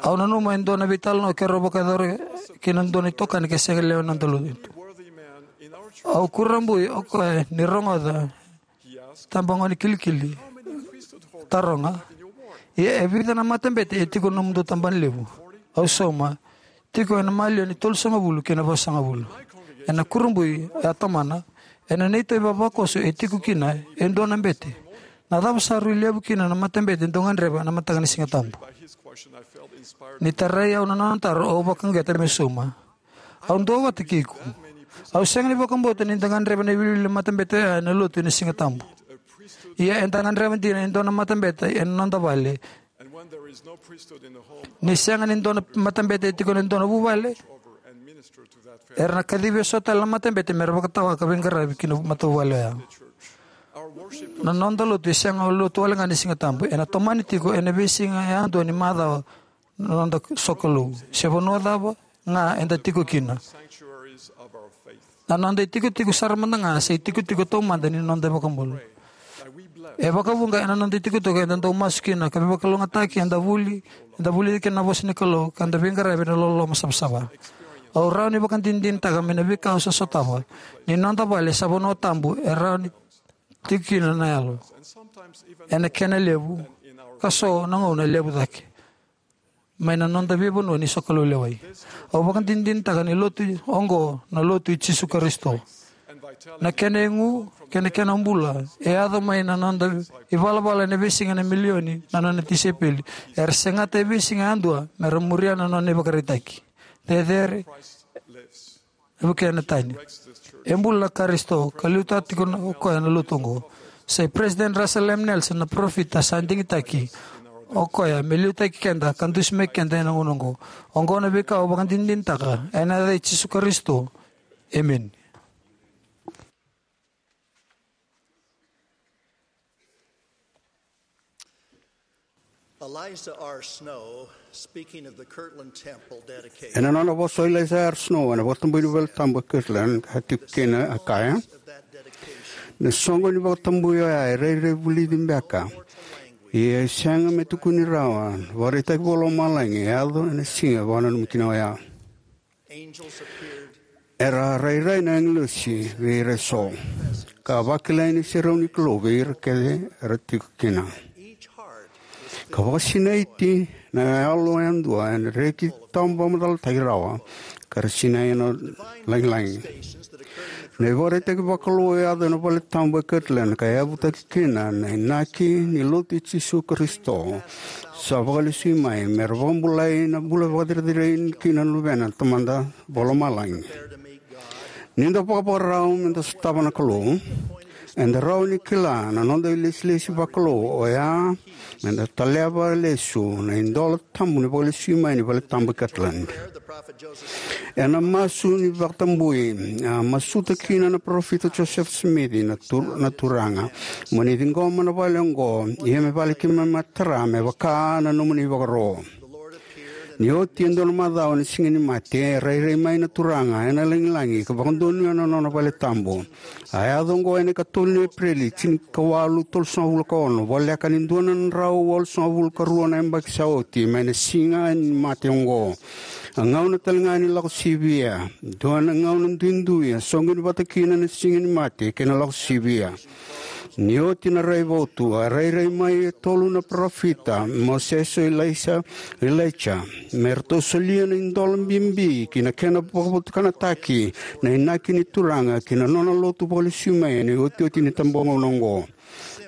Au nanuma e dua na veitalanoa keirau vakayacora kei na dua na itokani ka sega ni lewe ni noda lotu. Au kurabui o koya ni rogoca, tabagone kilikili, taroga, "Ia e vica na matabete e tiko ena nomudou tabana levu?" Au sauma, "Tiko ena maliwa ni tolusagavulu kei na vasagavulu." Ena kurabui, a tomana, "Ena neitou ivavakoso e tiko kina e dua na bete. Na cava sa rui levu kina na matabete dou gadreva ena mataka ni Siga Tabu?" Ni tarai au na nona taro, au vakauqeta meu sauma. Au duavata kei iko. Au sega ni vakabauta ni da gadreva na iwiliwili ni matabete oya ena lotu ena Siga Tabu. Ia eda gadreva dina e dua na matabete ena noda vale. Ni sega ni dua na matabete e tiko ena dua na vuvale, era na kacivi e so tale na matabete me ra vakatawa ka veiqaravi ki na matavuvale oya. Na noda lotu e sega ni lotu wale ga ni Siga Tabu. Ena tomani tiko ena veisiga yadua ni macawa na noda sokalou. Se vanua cava ga eda tiko kina, na noda itikotiko sara mada ga sa itikotiko taumada ni noda iVakabula. E vakavuqa ena noda itikotiko eda dau masu kina, ka veivakalougatataki, eda vuli, eda vulica kina na vosa ni Kalou, ka da veiqaravi ena loloma savasava. Au rawa ni vakadinadinataka mai na veika au sa sotava ni noda vale sa vanua tabu e rawa ni tiko kina na yalo, ena kena levu, ka so na gauna e levu cake mai na noda veivanua ni sokalou lewai. Au vakadinadinataka ni lotu oqo na lotu i Jisu Karisito. Na kena igu kei na kena bula e yaco mai na noda ivalavala ena veisiga na milioni na nona tisaipeli era segata e veisiga yadua me ra muria na nona ivakaraitaki. Cecere, e vukea na tani. E bula na Karisito, ka liutaka tiko o koya na lotu oqo. Sa i President Russell M. Nelson na parofita sa digitaki o koya me liutaki keda ka dusimaki keda ena gauna oqo. Oqo na veika au vakadinadinataka ena yaca i Jisu Karisito. Emeni. Eliza R. Snow, speaking of the Kirtland Temple dedication, ena nona vosa o Eliza R. Snow ena vakatabui ni valetabu e Kirtland, ka tiko kina, a kaya, na soqo ni vakatabui oya e rairai vulici beka. Ia e sega me tukuni rawa na ivakaraitaki vakalomalagi e yaco ena siga e vakananumi kina oya. Era rairai na agilosi vei ira eso, ka vakilai na iserau ni Kalou vei ira kece era tiko kina. Ka vakasinaiti na yalo yadua ena reki tawavakamacalataki rawa, ka ra sinai ena lagilagi. Na ivakaraitaki vakalou e yaco ena vale tabu e Kirtland ka yavutaki kina na inaki ni Lotu i Jisu Karisito sa vakalesui mai, me ra vakabulai na bula vakacerecerei kina na Luvena na Tamada Vakalomalagi. Ni da vakavakarau me da sotava na Kalou, eda rawa ni kila na noda ilesilesi vakalou, oya me da taleva lesu na idola tabu ni vakalesui mai ni vale tabu e Kirtland. Ena masu ni vakatabui, a masuta kina na parofita Joseph Smith na, tur, na Turaga, mo ni ciqoma na vale oqo, ia me vale keimami a tara me vaka na nomuni ivakaro. Ni oti e dua na macawa ena Siga ni Mate, rairai mai na Turaga ena lagilagi ka vakadonuya na nona vale tabu. A yaco oqo ena ikatolu ni Epereli, tinikawalu tolusagavulu ka ono, voleka ni dua na drau walusagavulu ka rua na yabaki sa oti mai na Siga ni Mate oqo. A gauna tale ga ni Lako Sivia, dua na gauna duidui a soqoni vata kina na Siga ni Mate kei na Lako Sivia. Ni oti na raivotu, a rairai mai e tolu na parofita, Mosese, Ilaisa, Ilaija, me ratou solia na idola bibi ki na kena vakavotukanataki na inaki ni Turaga ki na nona Lotu vakalesui mai ena iotioti ni itabagauna oqo.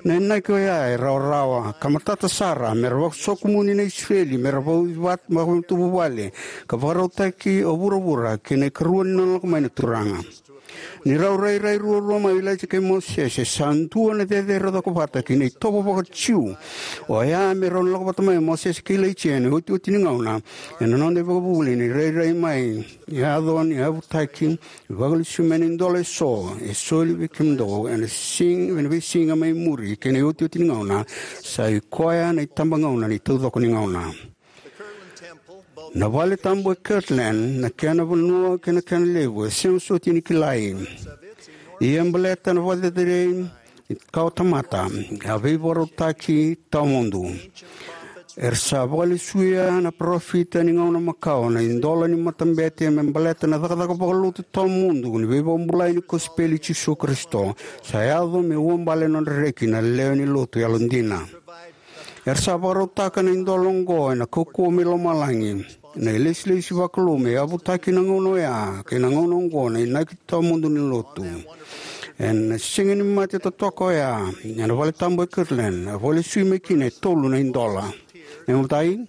Na inaki oya e rawarawa ka matata sara, me ra vakasokomuni na Isireli me ra vauci vata, vakamatavuvale, ka vakarautaki o vuravura ki na ikarua ni nona lako mai na Turaga. Ni rau rairai ruarua mai o Ilaija kei Mosese, sa dua na cecere cokovata ki na itovo vakaJiu. Oya me rau na lako vata mai o Mosese kei Ilaija ena iotioti ni gauna, ena noda ivakavuvuli ni rairai mai, yaco ni yavutaki, vakalesui mai na idola eso e soli vei kemudou ena siga, ena veisiga mai muri kei na iotioti ni gauna, sa i koya na itabagauna ni taucoko ni gauna. Na vale tabu e Kirtland, na kena vanua kei na kena levu, e sega soti ni kilai. Ia baleta na vakacerecerei ni kawatamata, a veivakarautaki tawamudu. Era sa vakalesuya na parofita ni gauna makawa na idola ni matabete me baleta na cakacaka vakalotu tawamudu ni veivakabulai ni kosipeli i Jisu Karisito. Sa yaco me uabale na nodra reki na lewe ni Lotu yalodina. Era sa vakarautaka na idola oqo ena kaukauwa mai lomalagi, na ilesilesi vakalou me yavutaki na gauna oya kei na gauna oqo na inaki tawamudu ni Lotu. Ena Siga ni Mate totoka oya, ena vale tabu e Kirtland, a vakalesui mai kina e tolu na idola. Na imatai,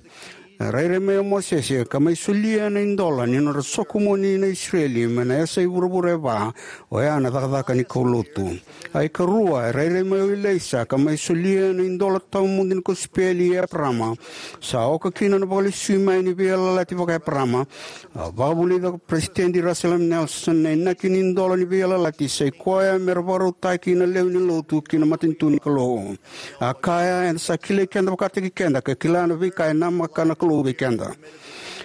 a rairai mai o Mosese ka mai solia na idola ni nodra sokomuni na Isireli mai na yasa i vuravura e va, oya na cakacaka ni kaulotu. A ikarua, e rairai mai o Ilaisa ka mai solia na idola tawamudu ni kosipeli i Eparama. Sa oka kina na vakalesui mai ni veiyalayalati vaka-Eparama. A vakavulica ko Peresitedi Russell M. Nelson, na inaki ni idola ni veiyalayalati sa i koya me ra vakarautaki na lewe ni Lotu ki na matanitu ni Kalou. A kaya, eda sa kilai keda vakataki keda ka kila na veika e namaka na Kalou vei keda.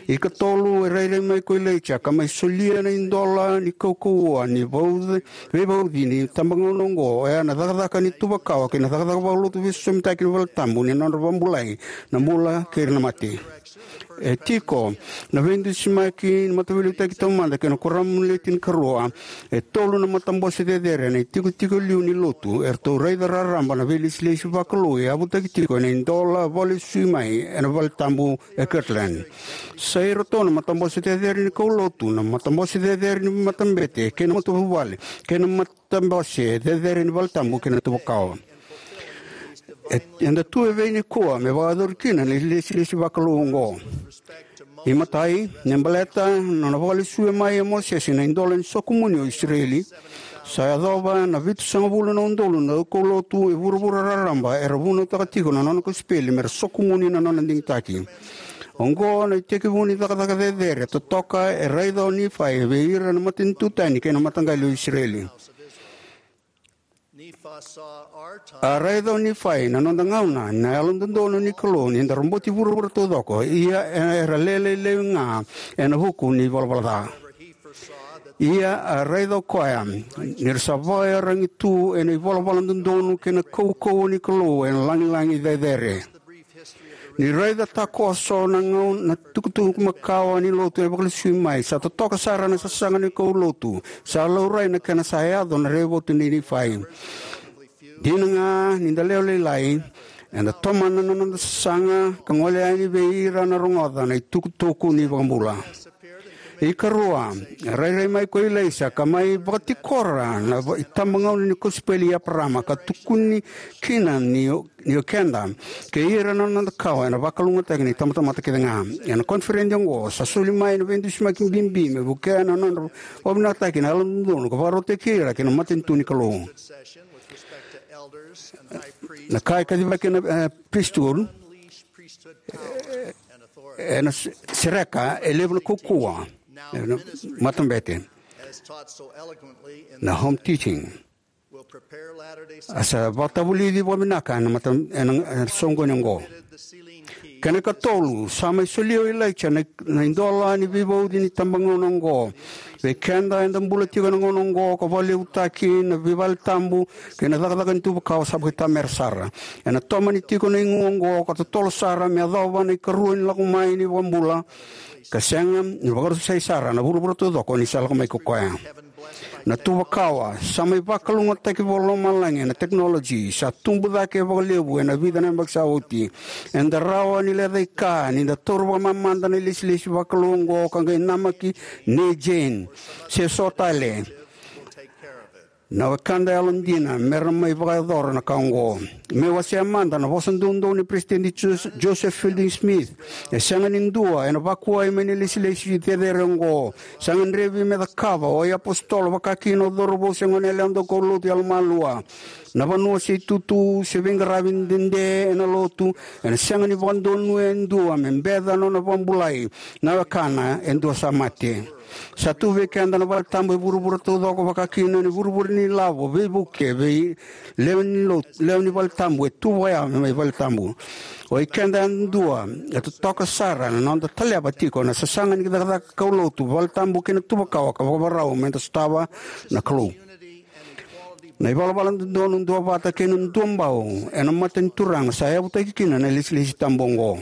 Ikatolu, e rairai mai ko Ilaija ka mai solia na idola ni kaukauwa ni vauci, veivauci ni tabagauna oqo, oya na cakacaka ni tuvakawa kei na cakacaka vakalotu veisosomitaki ni vale tabu ni nodra vakabulai na bula kei ira na mate. E tiko na veidusimaki ni Mataveiliutaki Taumada kei na Kuoramu ni Le Tinikarua, e tolu na matabose cecere ena itikotiko liu ni Lotu, eratou raica raraba na veilesilesi vakalou e yavutaki tiko ena idola vakalesui mai ena vale tabu e Kirtland. Sa iratou na matabose cecere ni kaulotu, na matabose cecere ni matabete kei na matavuvale, kei na matabose cecere ni vale tabu kei na tuvakawa. E, eda tu e vei nikua me vakayacori kina na ilesilesi vakalou oqo. Imatai, ni baleta na nona vakalesui mai o Mosese na idola ni sokomuni o Isireli, sa yacova na vitusagavulu na udolu na kaulotu e vuravura raraba era vunautaka tiko na nona kosipeli me ra sokomuni na nona digitaki. Oqo na itekivu ni cakacaka cecere totoka e raica o Nifai vei ira na matanitu tani kei na mataqali o Isireli. A raica o Nifai na noda gauna na yalododonu ni Kalou ni da roboti vuravura taucoko, ia era lele laivi ga ena vuku ni valavala ca. Ia a raica o koya ni ra sa vakaiyaragi tu ena ivalavala dodonu kei na kaukauwa ni Kalou ena lagilagi cecere. Ni raica takoso na gau na tukutuku makawa ni lotu e vakalesui mai, sa totoka sara na sasaga ni kaulotu. Sa laurai na kena sa yaco na raivotu nei Nifai. Dina ga ni da lewe lailai, eda tomana na noda sasaga ka gole yani vei ira na rogoca na itukutuku ni iVakabula. Ikarua, rairai mai ko Ilaisa ka mai vakatikora na va- itabagauna ni kosipeli i Eparama ka tukuni kina ni o- ni o keda kei ira na noda kawa ena vakalougatataki na itabatamata kece ga. Ena koniferedi oqo sa soli mai na veidusimaki bibi me vukea na nodra vakavinakataki na yalododonu ka vakarautaki ira ki na matanitu ni Kalou. Na ka e kacivaki na e, priesthood ena se- sereka e levu na kaukauwa ena matabete na home teaching. A sa vakatavulici vakavinaka ena mata ena ena soqoni oqo. Kena ikatolu, sa mai solia o Ilaija na na idola ni veivauci ni tabagauna oqo. Vei keda eda bula tiko ena gauna oqo ka vakalevutaki na veivale tabu kei na cakacaka ni tuvakawa sa vakaitamera sara. Ena tomani tiko na igu oqo ka totolo sara me yacova na ikarua ni lako mai ni vakabula ka sega ni vakarusai sara na vuravura taucoko ni sa lako mai ko koya. Na tuvakawa sa mai vakalougatataki vakalomalagi ena tekinoloji sa tubu cake vakalevu ena vica na yabaki sa oti. Eda rawa ni lecaika ni da taura vakamamada na ilesilesi vakalou oqo ka qai namaki nei Jane se so tale na wekada yalodina me ra mai vakayacora na ka oqo. Me wasea mada na vosa doudou ni Peresitedi Jos- Joseph Fielding Smith, e sega ni dua ena vakuai mai na ilesilesi cecere oqo. Sa gadrevi me cakava o iapositolo, vakakina o cauravou se goneyalewa daukaulotu yalomalua. Na vanua se itutu se veiqaravi dede ena lotu ena sega ni vakadonuya e dua me beca na nona vakabulai na wekana e dua sa mate. Sa tu vei keda na vale tabu e vuravura taucoko, vakakina ni vuravura ni lavo, veivuke, vei lewe ni lotu, lewe ni vale tabu e tu vakayawa me mai vale tabu. O i keda yadua e totoka sara na noda taleva tiko na sasaga ni cakacaka kaulotu, vale tabu kei na tuvakawa ka vakavakarau me da sotava na Kalou. Na ivalavala dodonu, duavata kei na duabau ena mata ni Turaga sa yavutaki kina na ilesilesi tabu oqo.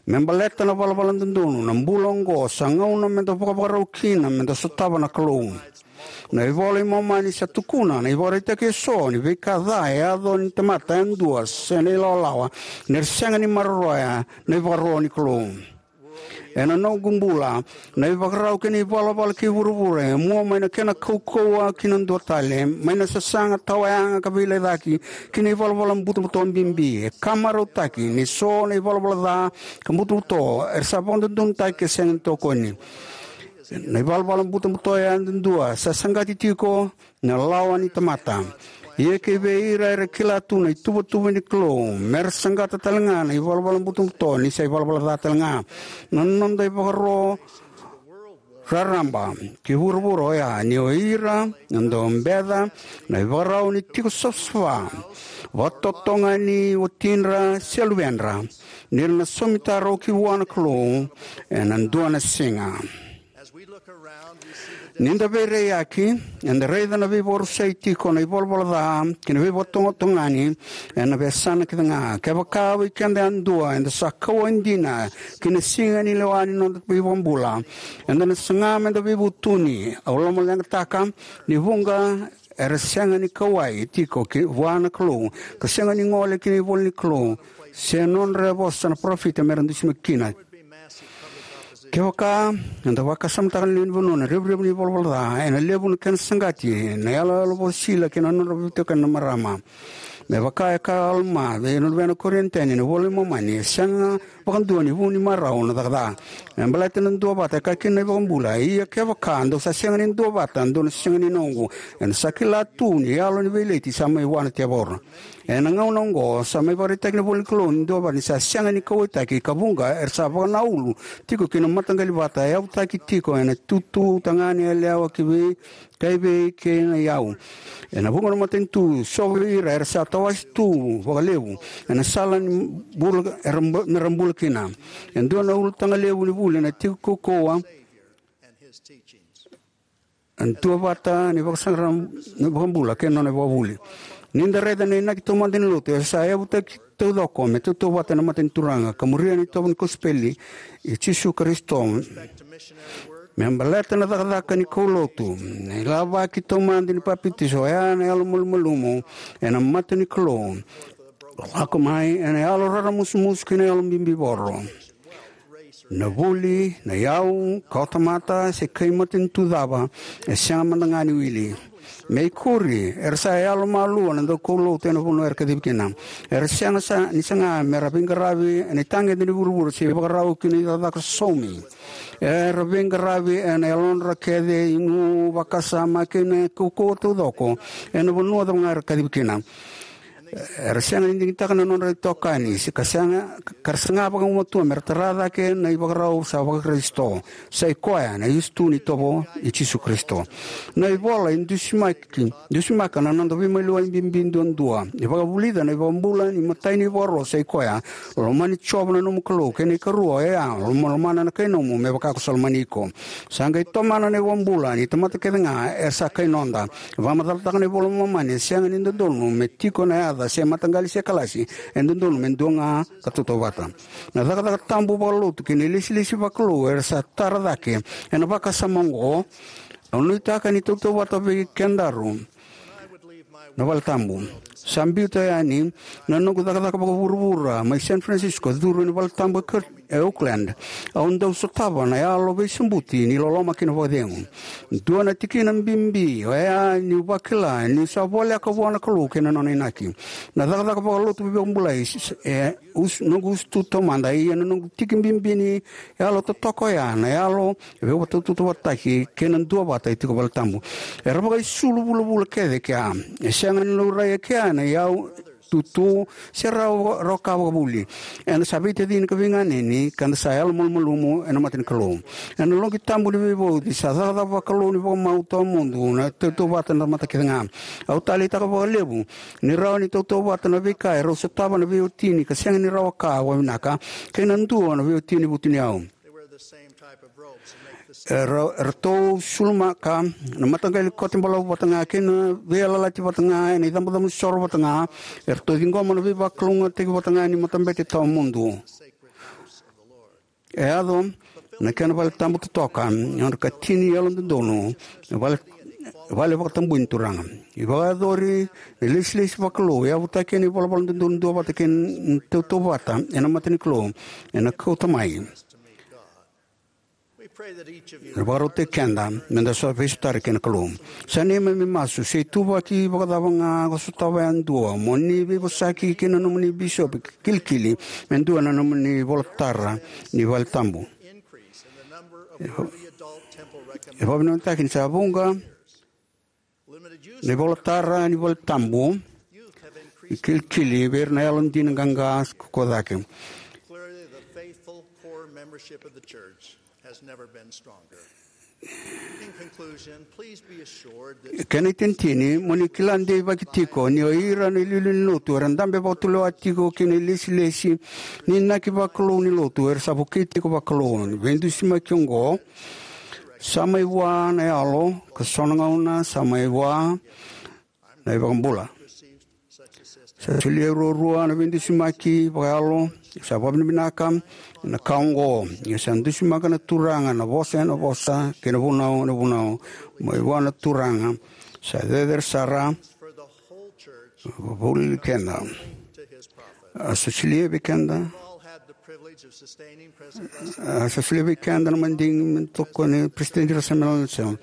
Me baleta na valavala dodonu, na bula oqo sa gauna me da vakavakarau kina me da sotava na Kalou. Na iVola i Momani sa tukuna na ivakaraitaki eso ni veika ca e yaco ni tamata yadua se na ilawalawa ni ra sega ni maroroya na ivakaro ni Kalou. Ena noqu bula, na ivakarau kei na ivalavala kei vuravura e mua mai na kena kaukauwa ki na dua tale, mai na sasaga, tawayaga ka veilecaki, ki na ivalavala butobuto bibi. E ka marautaki ni so na ivalavala ca ka butobuto era sa vakadodonutaki ka sega ni tokoni. Na ivalavala butobuto yadudua sa saqati tiko na lawa ni tamata. Ia kei vei ira era kila tu na ituvatuva ni Kalou, me ra saqata tale ga na ivalavala butobuto ni sa ivalavala ca tale ga. Na noda ivakaro raraba ki vuravura oya ni o ira na dau beca na ivakarau ni tiko savasava, vakatotogani watidra se luvedra, ni ra na saumitaro ki vua na Kalou ena dua na siga. Ni da veiraiyaki, eda raica na veivakarusai tiko na ivalavala ca kei na veivakatotogani ena veiyasana kece ga. Kevaka vei keda yadua eda sa kauwai dina ki na siga ni lewa ni noda iVakabula, eda na saga me da veivutuni. Au lomaleqataka ni vuqa era sega ni kauwai tiko ki vua na Kalou ka sega ni gole ki na ivola ni Kalou se nodra vosa na parofita me ra dusimaki kina. Kevaka eda vakasamataka na lewe ni vanua na revurevu ni ivalavala ca, ena levu na kena saqati na iyaloyalo vakasisila kei na nodra veitokani na marama. Me vaka e kaya o Alama vei na luvena Korianitoni ena iVola i Momani, e sega vakadua ni vu ni marau na caka ca. Me baleta na duavata, e kaya kina na iVakabula, ia kevaka dou sa sega ni duavata, dou na sega ni noqu. Eda sa kila tu ni yalo ni veileti sa mai vua na tevoro. Ena gauna oqo sa mai vakaraitaki na ivola ni Kalou ni duavata ni sa sega ni kauwaitaki, ka vuqa era sa vakanaulu tiko ki na mataqali vata e yavutaki tiko ena tutu tagane yalewa ki vei kaivei kei na iyau. Ena vuqa na matanitu, so vei ira era sa tawase tu vakalevu ena sala ni bula era bu- me ra bula kina. E dua na ulutaga levu ni vuli ena tiko kaukauwa ena duavata ni vakasaqara na iVakabula kei na nona ivakavuvuli. Ni da raica na inaki taumada ni lotu, e sa yavutaki taucoko me tautauvata ena mata ni Turaga ka muria na itovo ni kosipeli i Jisu Karisito. Me baleta na cakacaka ni kaulotu, na ilavaki taumada ni papitaiso, oya na yalo malumalumu ena mata ni Kalou, lako mai ena yalo raramusumusu kei na yalo bibivoro. Na vuli, na iyau, kawatamata, se kai matanitu cava, e sega mada ga ni wili. Me ikuri, era sa yalo malua na daukaulotu ena vanua era kacivi kina. Era sega sa, ni saga me ra veiqaravi ena itagede ni vuravura se ivakarau ki na icakacaka saumi. Era veiqaravi ena yalodra kece, igu, vakasama kei na kaukauwa taucoko ena vanua cava ga era kacivi kina. Era sega ni digitaka na nodra itokani, se ka sega, ka ra saga vakagumatua me ra tara cake na ivakarau sa vakarisito. Sa i koya na iotioti ni itovo i Jisu Karisito. Na ivola e dusimaki, dusimaka na noda veimaliwai bibi duadua. E vakavulica na iVakabula ni matai ni ivakaro sa i koya: Lomani Jiova na nomu Kalou, kei na ikarua oya, lomalomana na kai nomu me vaka ko sa lomani iko. Sa qai tomana na iVakabula ni tamata kece ga era sa kai noda. Vakamacalataka na iVola i Momani, e sega ni dodonu me tiko na yaca se mataqali se kalasi, e dodonu me dua ga ka tautauvata. Na cakacaka tabu vakalotu kei na ilesilesi vakalou era sa tara cake ena vakasama oqo. Au nuitaka ni tautauvata vei kedaru na vale tabu. Sa biuta yani na noqu cakacaka vakavuravura mai San Francisco, curu ena vale tabu e Kir-, e Oakland. Au dau sotava na yalo veisobuti ni loloma kei na vakacegu. Dua na tikina bibi oya niu vakila niu sa voleka vua na Kalou kei na nona inaki. Na cakacaka vakalotu veivakabulai s-, s-, e us-, noqu usutu taumada, ia na noqu tiki bibi ni yalo totoka oya na yalo veivakatautauvatataki kei na duavata e tiko vale tabu. Era vakaisulu vulavula kece kea. E sega ni laurai e kea na iyau, tutu, se rawa, rawa ka vakavuli. Eda sa veitacini ka veiganeni, ka da sa yalo malumalumu ena mata ni Kalou. Ena loqi tabu ni veivauci, sa cakacaka vakalou ni vakamau tawamudu na tautauvata na tamata kece ga. Au taleitaka vakalevu ni rawa ni tautauvata na veika e rau sotava na veiwatini ka sega ni rawa ka vakavinaka, kei na dua na veiwatini vutuniyau. Era, eratou sulumaka na mataqali kote balavu vata ga kei na veiyalayalati vata ga ena icabocabo soro vata ga. Eratou ciqoma na veivakalougatataki vata ga ni matabete tawamudu. E yaco na kena vale tabu totoka, e ono ka tini yalododonu, vale, vale vakatabui ni Turaga. E vakayacori na ilesilesi vakalou, e yavutaki ena ivalavala dodonu duavata kei na tautauvata ena mata ni Kalou, ena kauta mai. E vakarautaki keda meda so veisotari kei na Kalou. Sa neimami masu, se ituvaki vakacava ga ko sotava yadua, mo ni veivosaki kei na nomuni bisopi, kilikili me dua na nomuni ivolatara ni vale tabu. E vakavinavinakataki ni sa vuqa na ivolatara ni vale tabu, kilikili vei ira na yalodina qaqa ko cake. Clearly, the faithful core membership of the church has never been stronger. In conclusion, please be assured that Kena itinitini, mo ni kila deivaki tiko ni o ira na iliuliu ni lotu era dabe vakatulewa tiko kei na ilesilesi ni inaki vakalou ni lotu era sa vukei tiko vakalou. Ni veidusimaki oqo, sa mai vua na yalo, ka so na gauna sa mai vua na iVakabula. Sa solia e ruarua na veidusimaki vakayalo, sa vakavinavinaka ena ka oqo. Ia sa dusimaka na Turaga na vosa ena vosa, kei na vunau ena vunau, mai vua na Turaga. Sa cecere sara, vuli keda. A sa solia vei keda. A sa solia vei keda na madigi me tokoni President Russell M. Nelson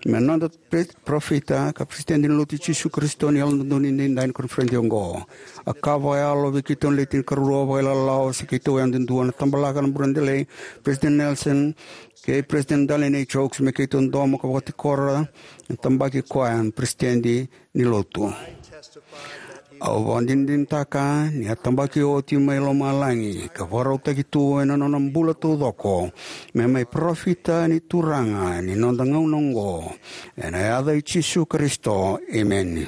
me noda pre-, parofita ka President ni Lotu i Jisu Karisito ni Yalododonu Edaidai ni koniferedi oqo. A ka vakayalo vei keitou na le tinikarua vakailawalawa, se keitou yadudua na tabalaka na buredelei, President Nelson, kei President Dallin H. Oaks, me keitou domo ka vakatikora na tabaki koya na President ni Lotu. Au vakadinadinataka ni a tabaki oti mai lomalagi ka vakarautaki tu ena nona bula taucoko me mai parofita ni Turaga ni noda gauna oqo. Ena yaca i Jisu Karisito, emeni.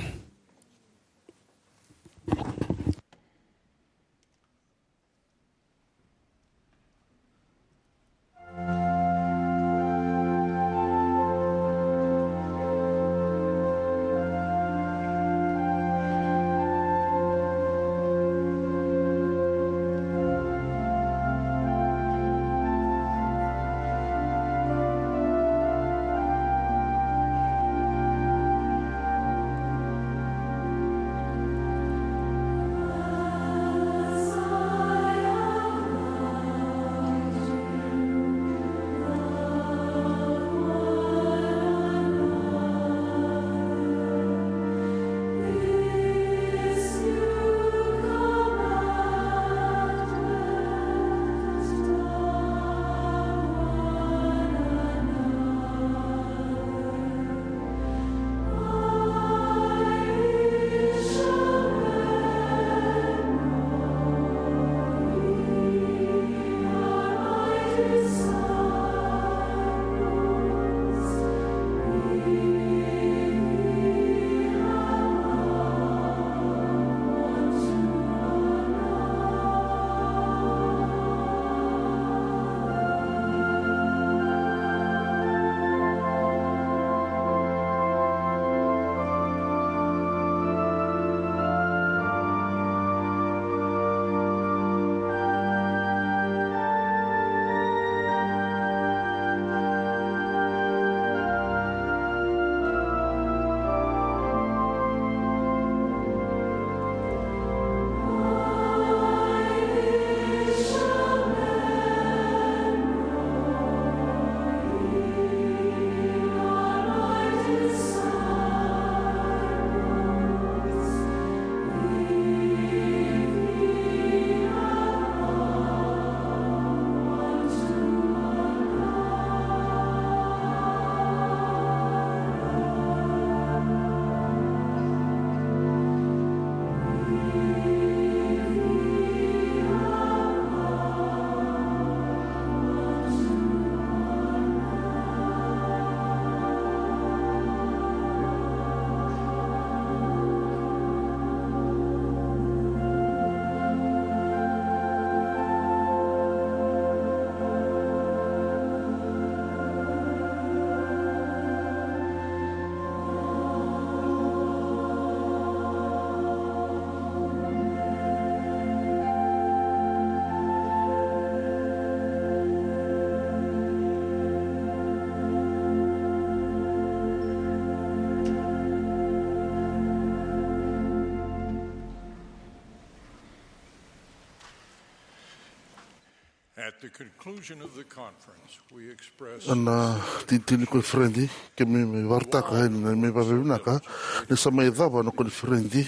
At the conclusion of the conference, we express Ena titini ni koniferedi, keimami vakaraitaka ena neimami vakavinavinaka ni sa mai cava na koniferedi.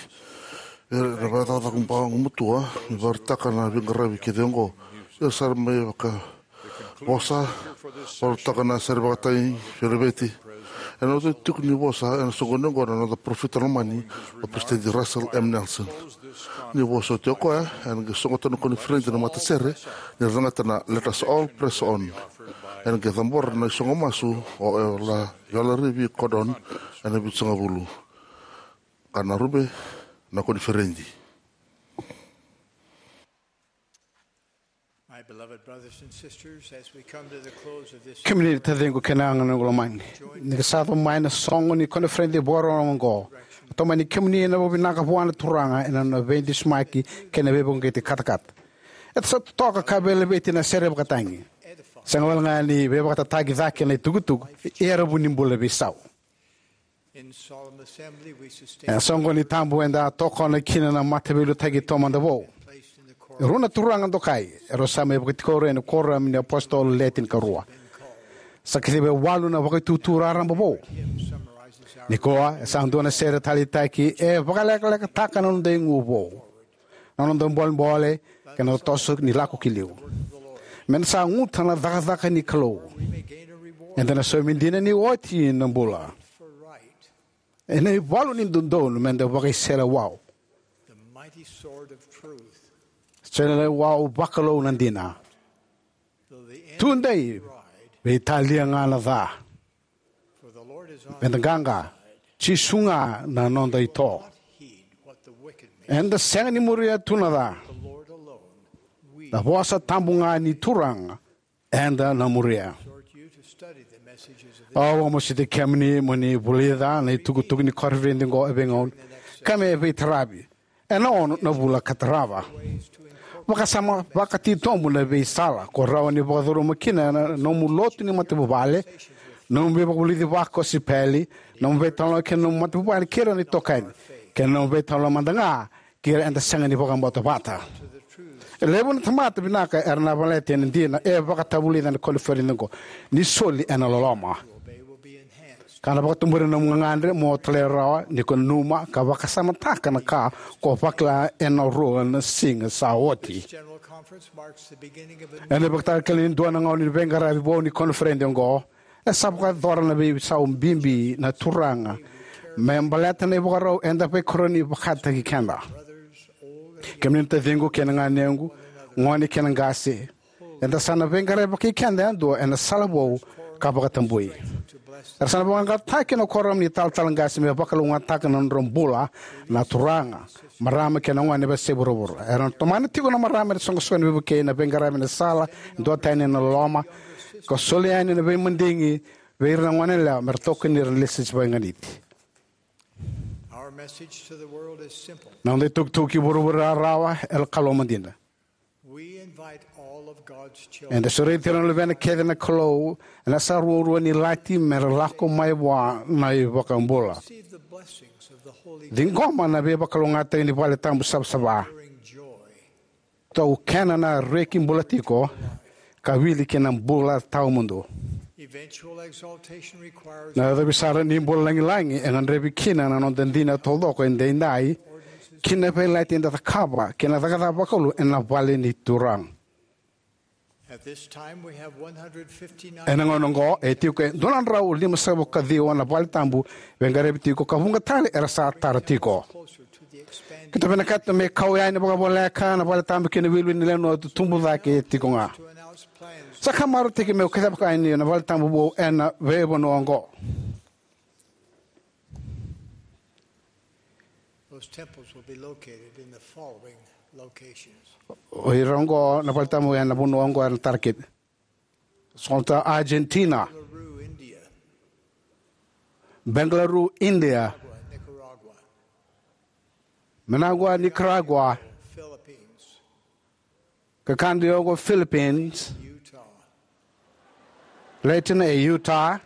Era vakacakacaka vakagumatua me vakaraitaka na veiqaravi kece oqo. Era sa mai vakavosa, vakaraitaka na sere vakatagi, fereveiti. Ena noda tiko ni vosa ena soqoni oqo na noda parofita lomani, o Peresitedi Russell M. Nelson. Ni vosa oti o koya, ena qai sogota na koniferedi na matasere ni ra lagata na Let Us All Press On. Ena qai cabora na isogo masu o Eola, Eola Rivi Cordon, ena Vitusagavulu. Ka na rube na koniferedi. My beloved brothers and sisters, as we come to the close of this Kemuni na taciqu kei na ganequ lomani, ni sa yaco mai na soqo ni koniferedi vakarorogo oqo, au tomani kemuni ena vakavinavinaka vua na Turaga ena nona veidusimaki kei na veivakauqeti katakata. Eda sa totoka ka veilaveti ena sere vakatagi. Sega walega ni veivakatataki cake na itukutuku, ia era vu ni bula veisau. In solemn assembly, we sustain Ena soqoni tabu eda tokona kina na mataveiliutaki taumada vou. Placed in the E rua na turaga dokai, erau sa mai vakatikori ena kuoramu ni apositolo Le Tinikarua. Sa kaciva e walu na vakaitutu raraba vou. Hymn summarizes our Nikua, e sa dua na sere taleitaki, e vakalekalekataka na noda igu vou, na noda bolebole, kei na toso ni lako ki liu. Meda sa guta na cakacaka ni Kalou. Eda na saumi dina ni oti na bula. For right. Ena ivalu ni dodonu meda vakaiseleiwau. The mighty sword of truth. Seleiwau vakalou na dina. Though the end Tudei, pride, veitalia ga na ca. For the Lord is on Meda qaqa, Jisu ga na noda ito. Heed what the wicked may Eda sega ni muria tu na ca. The Lord alone. We Na vosa tabu ga ni Turaga eda na muria. Exhort you to study the messages of this Au vakamasuti kemuni mo ni vulica na itukutuku ni koniferedi oqo e veigauna ka me veitaravi ena ono na vula ka tarava. Vakasama vakatitobu na veisala ko rawa ni vakacuruma kina na nomu lotu ni matavuvale, nomu veivakavulici vakosipeli, nomu veitalanoa kei na nomu matavuvale kei ira na itokani, kei na nomu veitalanoa mada ga kei ira eda sega ni vakabauta vata. E levu na tamata vinaka era na valete ena dina e vakatavulica ena koniferedi oqo ni soli ena loloma. Ka na vakatubura na nomu gagadre mo talairawarawa ni ko nanuma ka vakasamataka na ka ko vakila ena rua na siga sa oti. General Conference marks the beginning of a new Ena ivakatakila ni dua na gauna ni veiqaravi vou ni koniferedi oqo, e sa vakayacora na veisau bibi na Turaga me baleta na ivakarau eda veikaroni vakataki keda. Kemuni na taciqu kei na ganequ, gone kei na qase, eda sa na veiqaravi vakai keda yadua ena sala vou ka vakatabui. Era sa na vakaqaqataki na kuoramu ni talatala qase me vakalougatataka na nodra bula na turaga, marama kei na gone e veiyasai vuravura. Era na tomana tiko na marama ena soqosoqo ni veivukei, na veiqaravi ena sala, duatani ena loloma, ka solia yani na veimadigi vei ira na goneyalewa me ra tokoni ira na lesulesu vakaganiti. Our message to the world is simple. Na noda itukutuku ki vuravura e rawarawa, e kalou madina. We invite all of God's children Eda sureti ira na luvena kece na Kalou ena yasa ruarua ni lati me ra lako mai vua na iVakabula. Receive the blessings of the Holy Ciqoma na veivakalougatataki ni vale tabu savasava. Enduring joy. Taukena na reki bula tiko ka wili ki na bula tawamudu. Eventual exaltation requires Na yacovi sara ni bula lagilagi e gadrevi kina na noda dina taucoko edaidai ki na veiyalayalati eda cakava kei na cakacaka vakalou ena vale ni Turaga. At this time, we have one hundred fifty-nine Ena gauna oqo e tiko e dua na drau limasagavulu ka ciwa na vale tabu veiqaravi tiko ka vuqa tale era sa tara tiko. Closer to the expanded Keitou vinakata me kau yani vakavoleka na vale tabu ki na iwiliwili ni lewe ni noda tubu cake tiko ga. To announce plans Sa ka marautaki meu kacivaka yani na vale tabu vou ena veivanua oqo. Those temples will be located in the following locations. O ira oqo na vale tabu ena vanua oqo ena tara kina. Sota, Argentina. Belarus, India. Belarus, India. Nicaragua. Managua, Nicaragua. Philippines. Kakadu, Philippines. Utah. Layton e Utah.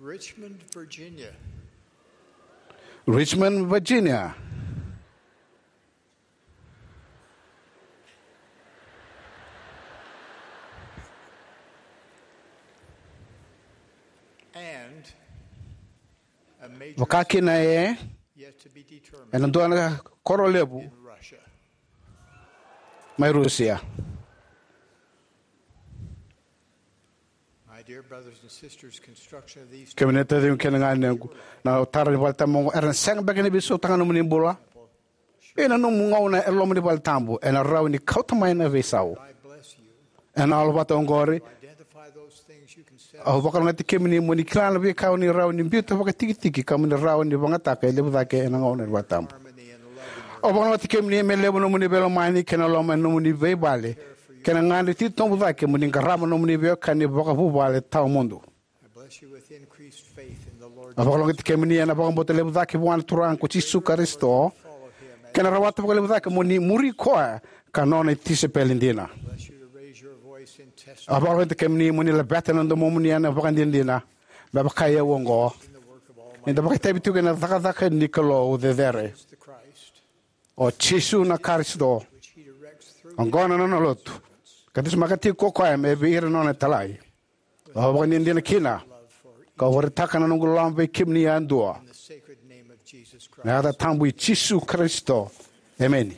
Richmond, Virginia. Richmond, Virginia. And a major Vakakina e yet to be determined ena dua na koro levu in Russia. Mai Rusia. My dear brothers and sisters, construction of these Kemuni na taciqu kei na ganequ, na tara ni vale tabu oqo era na sega beka ni veisautaka na nomuni bula. Ena nomu gauna e loma ni vale tabu ena rawa ni kauta mai na veisau. I bless you. Ena alu vata oqori, identify those things you can set au vakalogati kemuni mo ni kila na veika o ni rawa ni biuta vakatikitiki ka mo ni rawa ni vagataka e levu cake ena gauna ni vale tabu. Harmony and loving. Au vakalogati kemuni me levu nomuni veilomani kei na loma ena nomuni veivale kei na gadre titobu cake mo ni qarava nomuni veiwekani vakavuvale tawamudu. I bless you with increased faith in the Lord. Au vakalogati kemuni ena vakabauta levu cake vua na Turaga ko Jisu Karisito kei na rawata vakalevu cake mo ni muri koya ka nona tisaipeli dina. Bless you to raise your voice in testimony. Au vakalogati kemuni mo ni laveta na domomuni ena vakadinadina me vaka i au oqo, ni da vakaitavi tiko ena cakacaka ni Kalou cecere. The Christ, o Jisu na Karisito, which he directs through oqo na nona lotu, ka dusimaka tiko ko koya me vei ira na nona italai. Au vakadinadina kina ka vakaraitaka na noqu loloma vei kemuni yadua. In the sacred name of Jesus Christ. Na yaca tabu i Jisu Karisito. Emeni.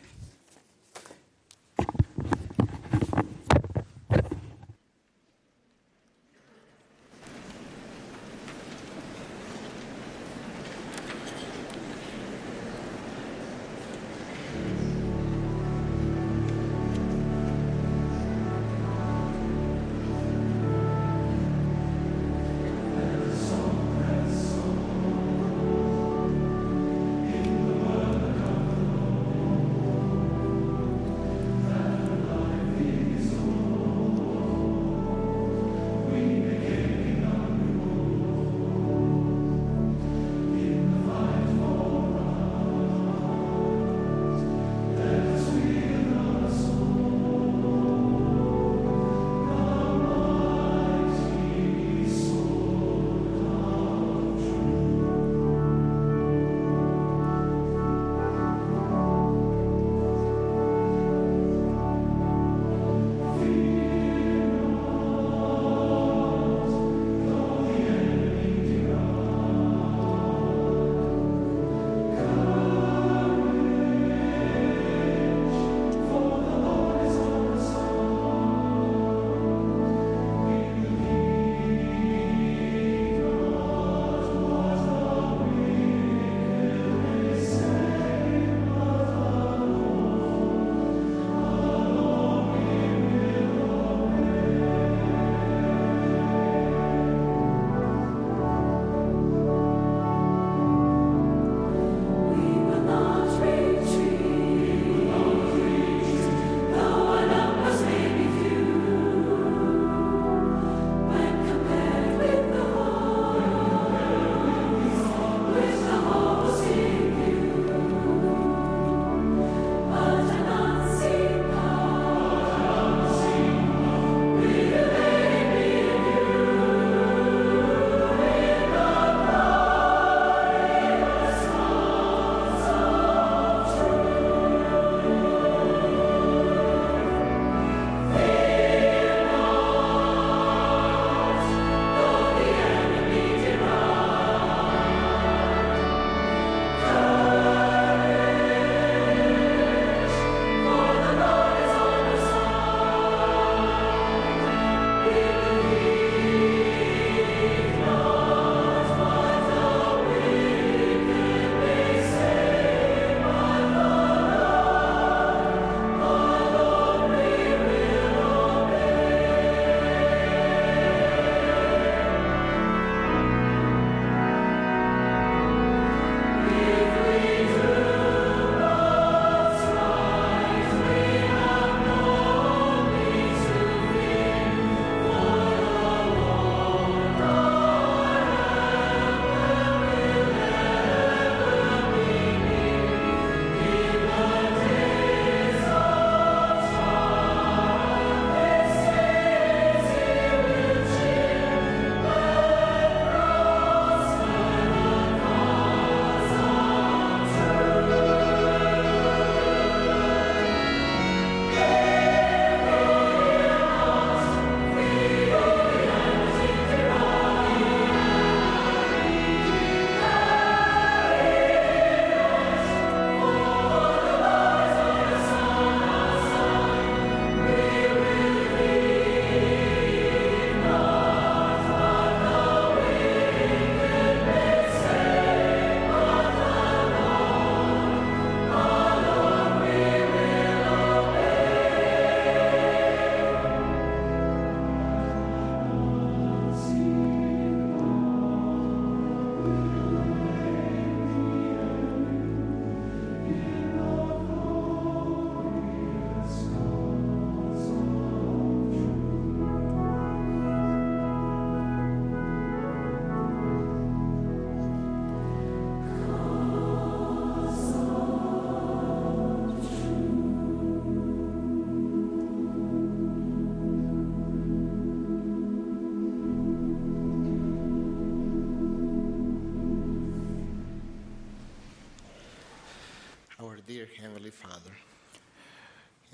Father,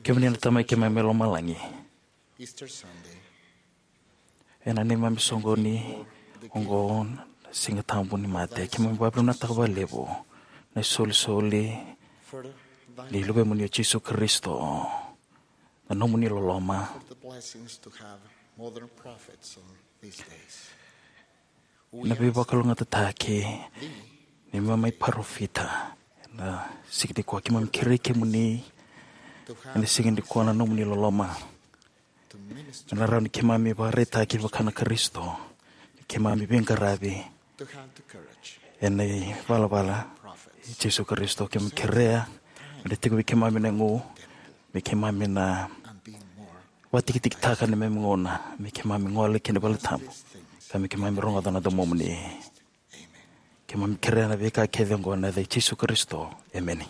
kemuni na Tamai keimami mai lomalagi, Easter Sunday, ena neimami soqoni oqo na Siga Tabu ni Mate, keimami vakavinavinakataka vakalevu na isolisoli ni Luvemuni o Jisu Karisito, na nomuni loloma. Na veivakalougatataki ni neimami parofita ena siga nikua, keimami kerei kemuni ena siga nikua na nomuni loloma. Ena rawa ni keimami vakaraitaki vaka na Karisito ni keimami veiqaravi ena ivalavala i Jisu Karisito. Keimami kerea me na tiko vei keimami na igu, me keimami na vakatikitiki taka ni neimami gauna, me keimami gole ki na vale tabu, ka me keimami rogoca na Domomuni. Keimami kerea na veika kece oqo ena yaca i Jisu Karisito, emeni.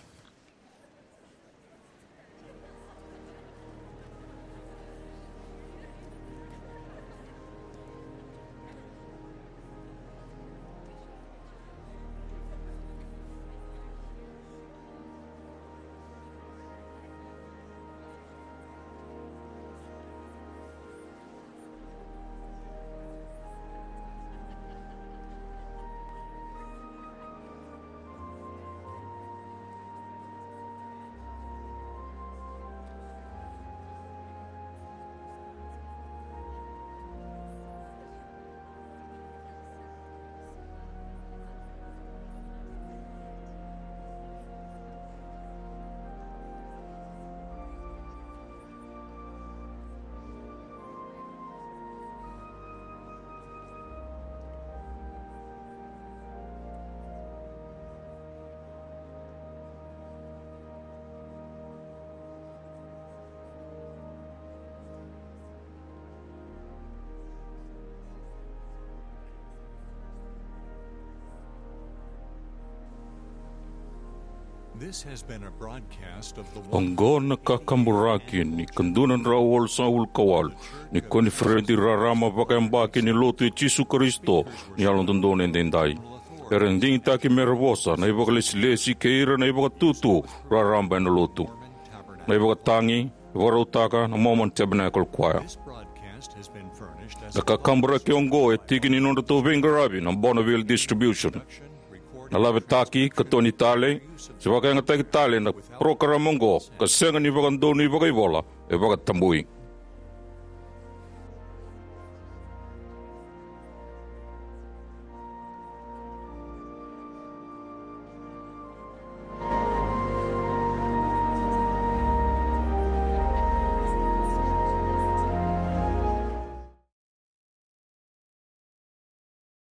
Oqo na kakaburaki ni ka dua na drau walusagavulu ka walu ni koniferedi raraba vakayabaki ni Lotu i Jisu Karisito ni Yalododonu Edaidai. Era digitaki me ra vosa na ivakalesilesi kei ira na ivakatutu raraba ena Lotu, na ivakatagi e vakarautaka na Mormon Tabernacle Choir. Na kakaburaki oqo e tiki ni nodratou veiqaravi na Bonneville Distribution. Na lavetaki, katoni tale, se vakayagataki tale na parokaramu oqo ka sega ni vakadonui vakaivola e vakatabui.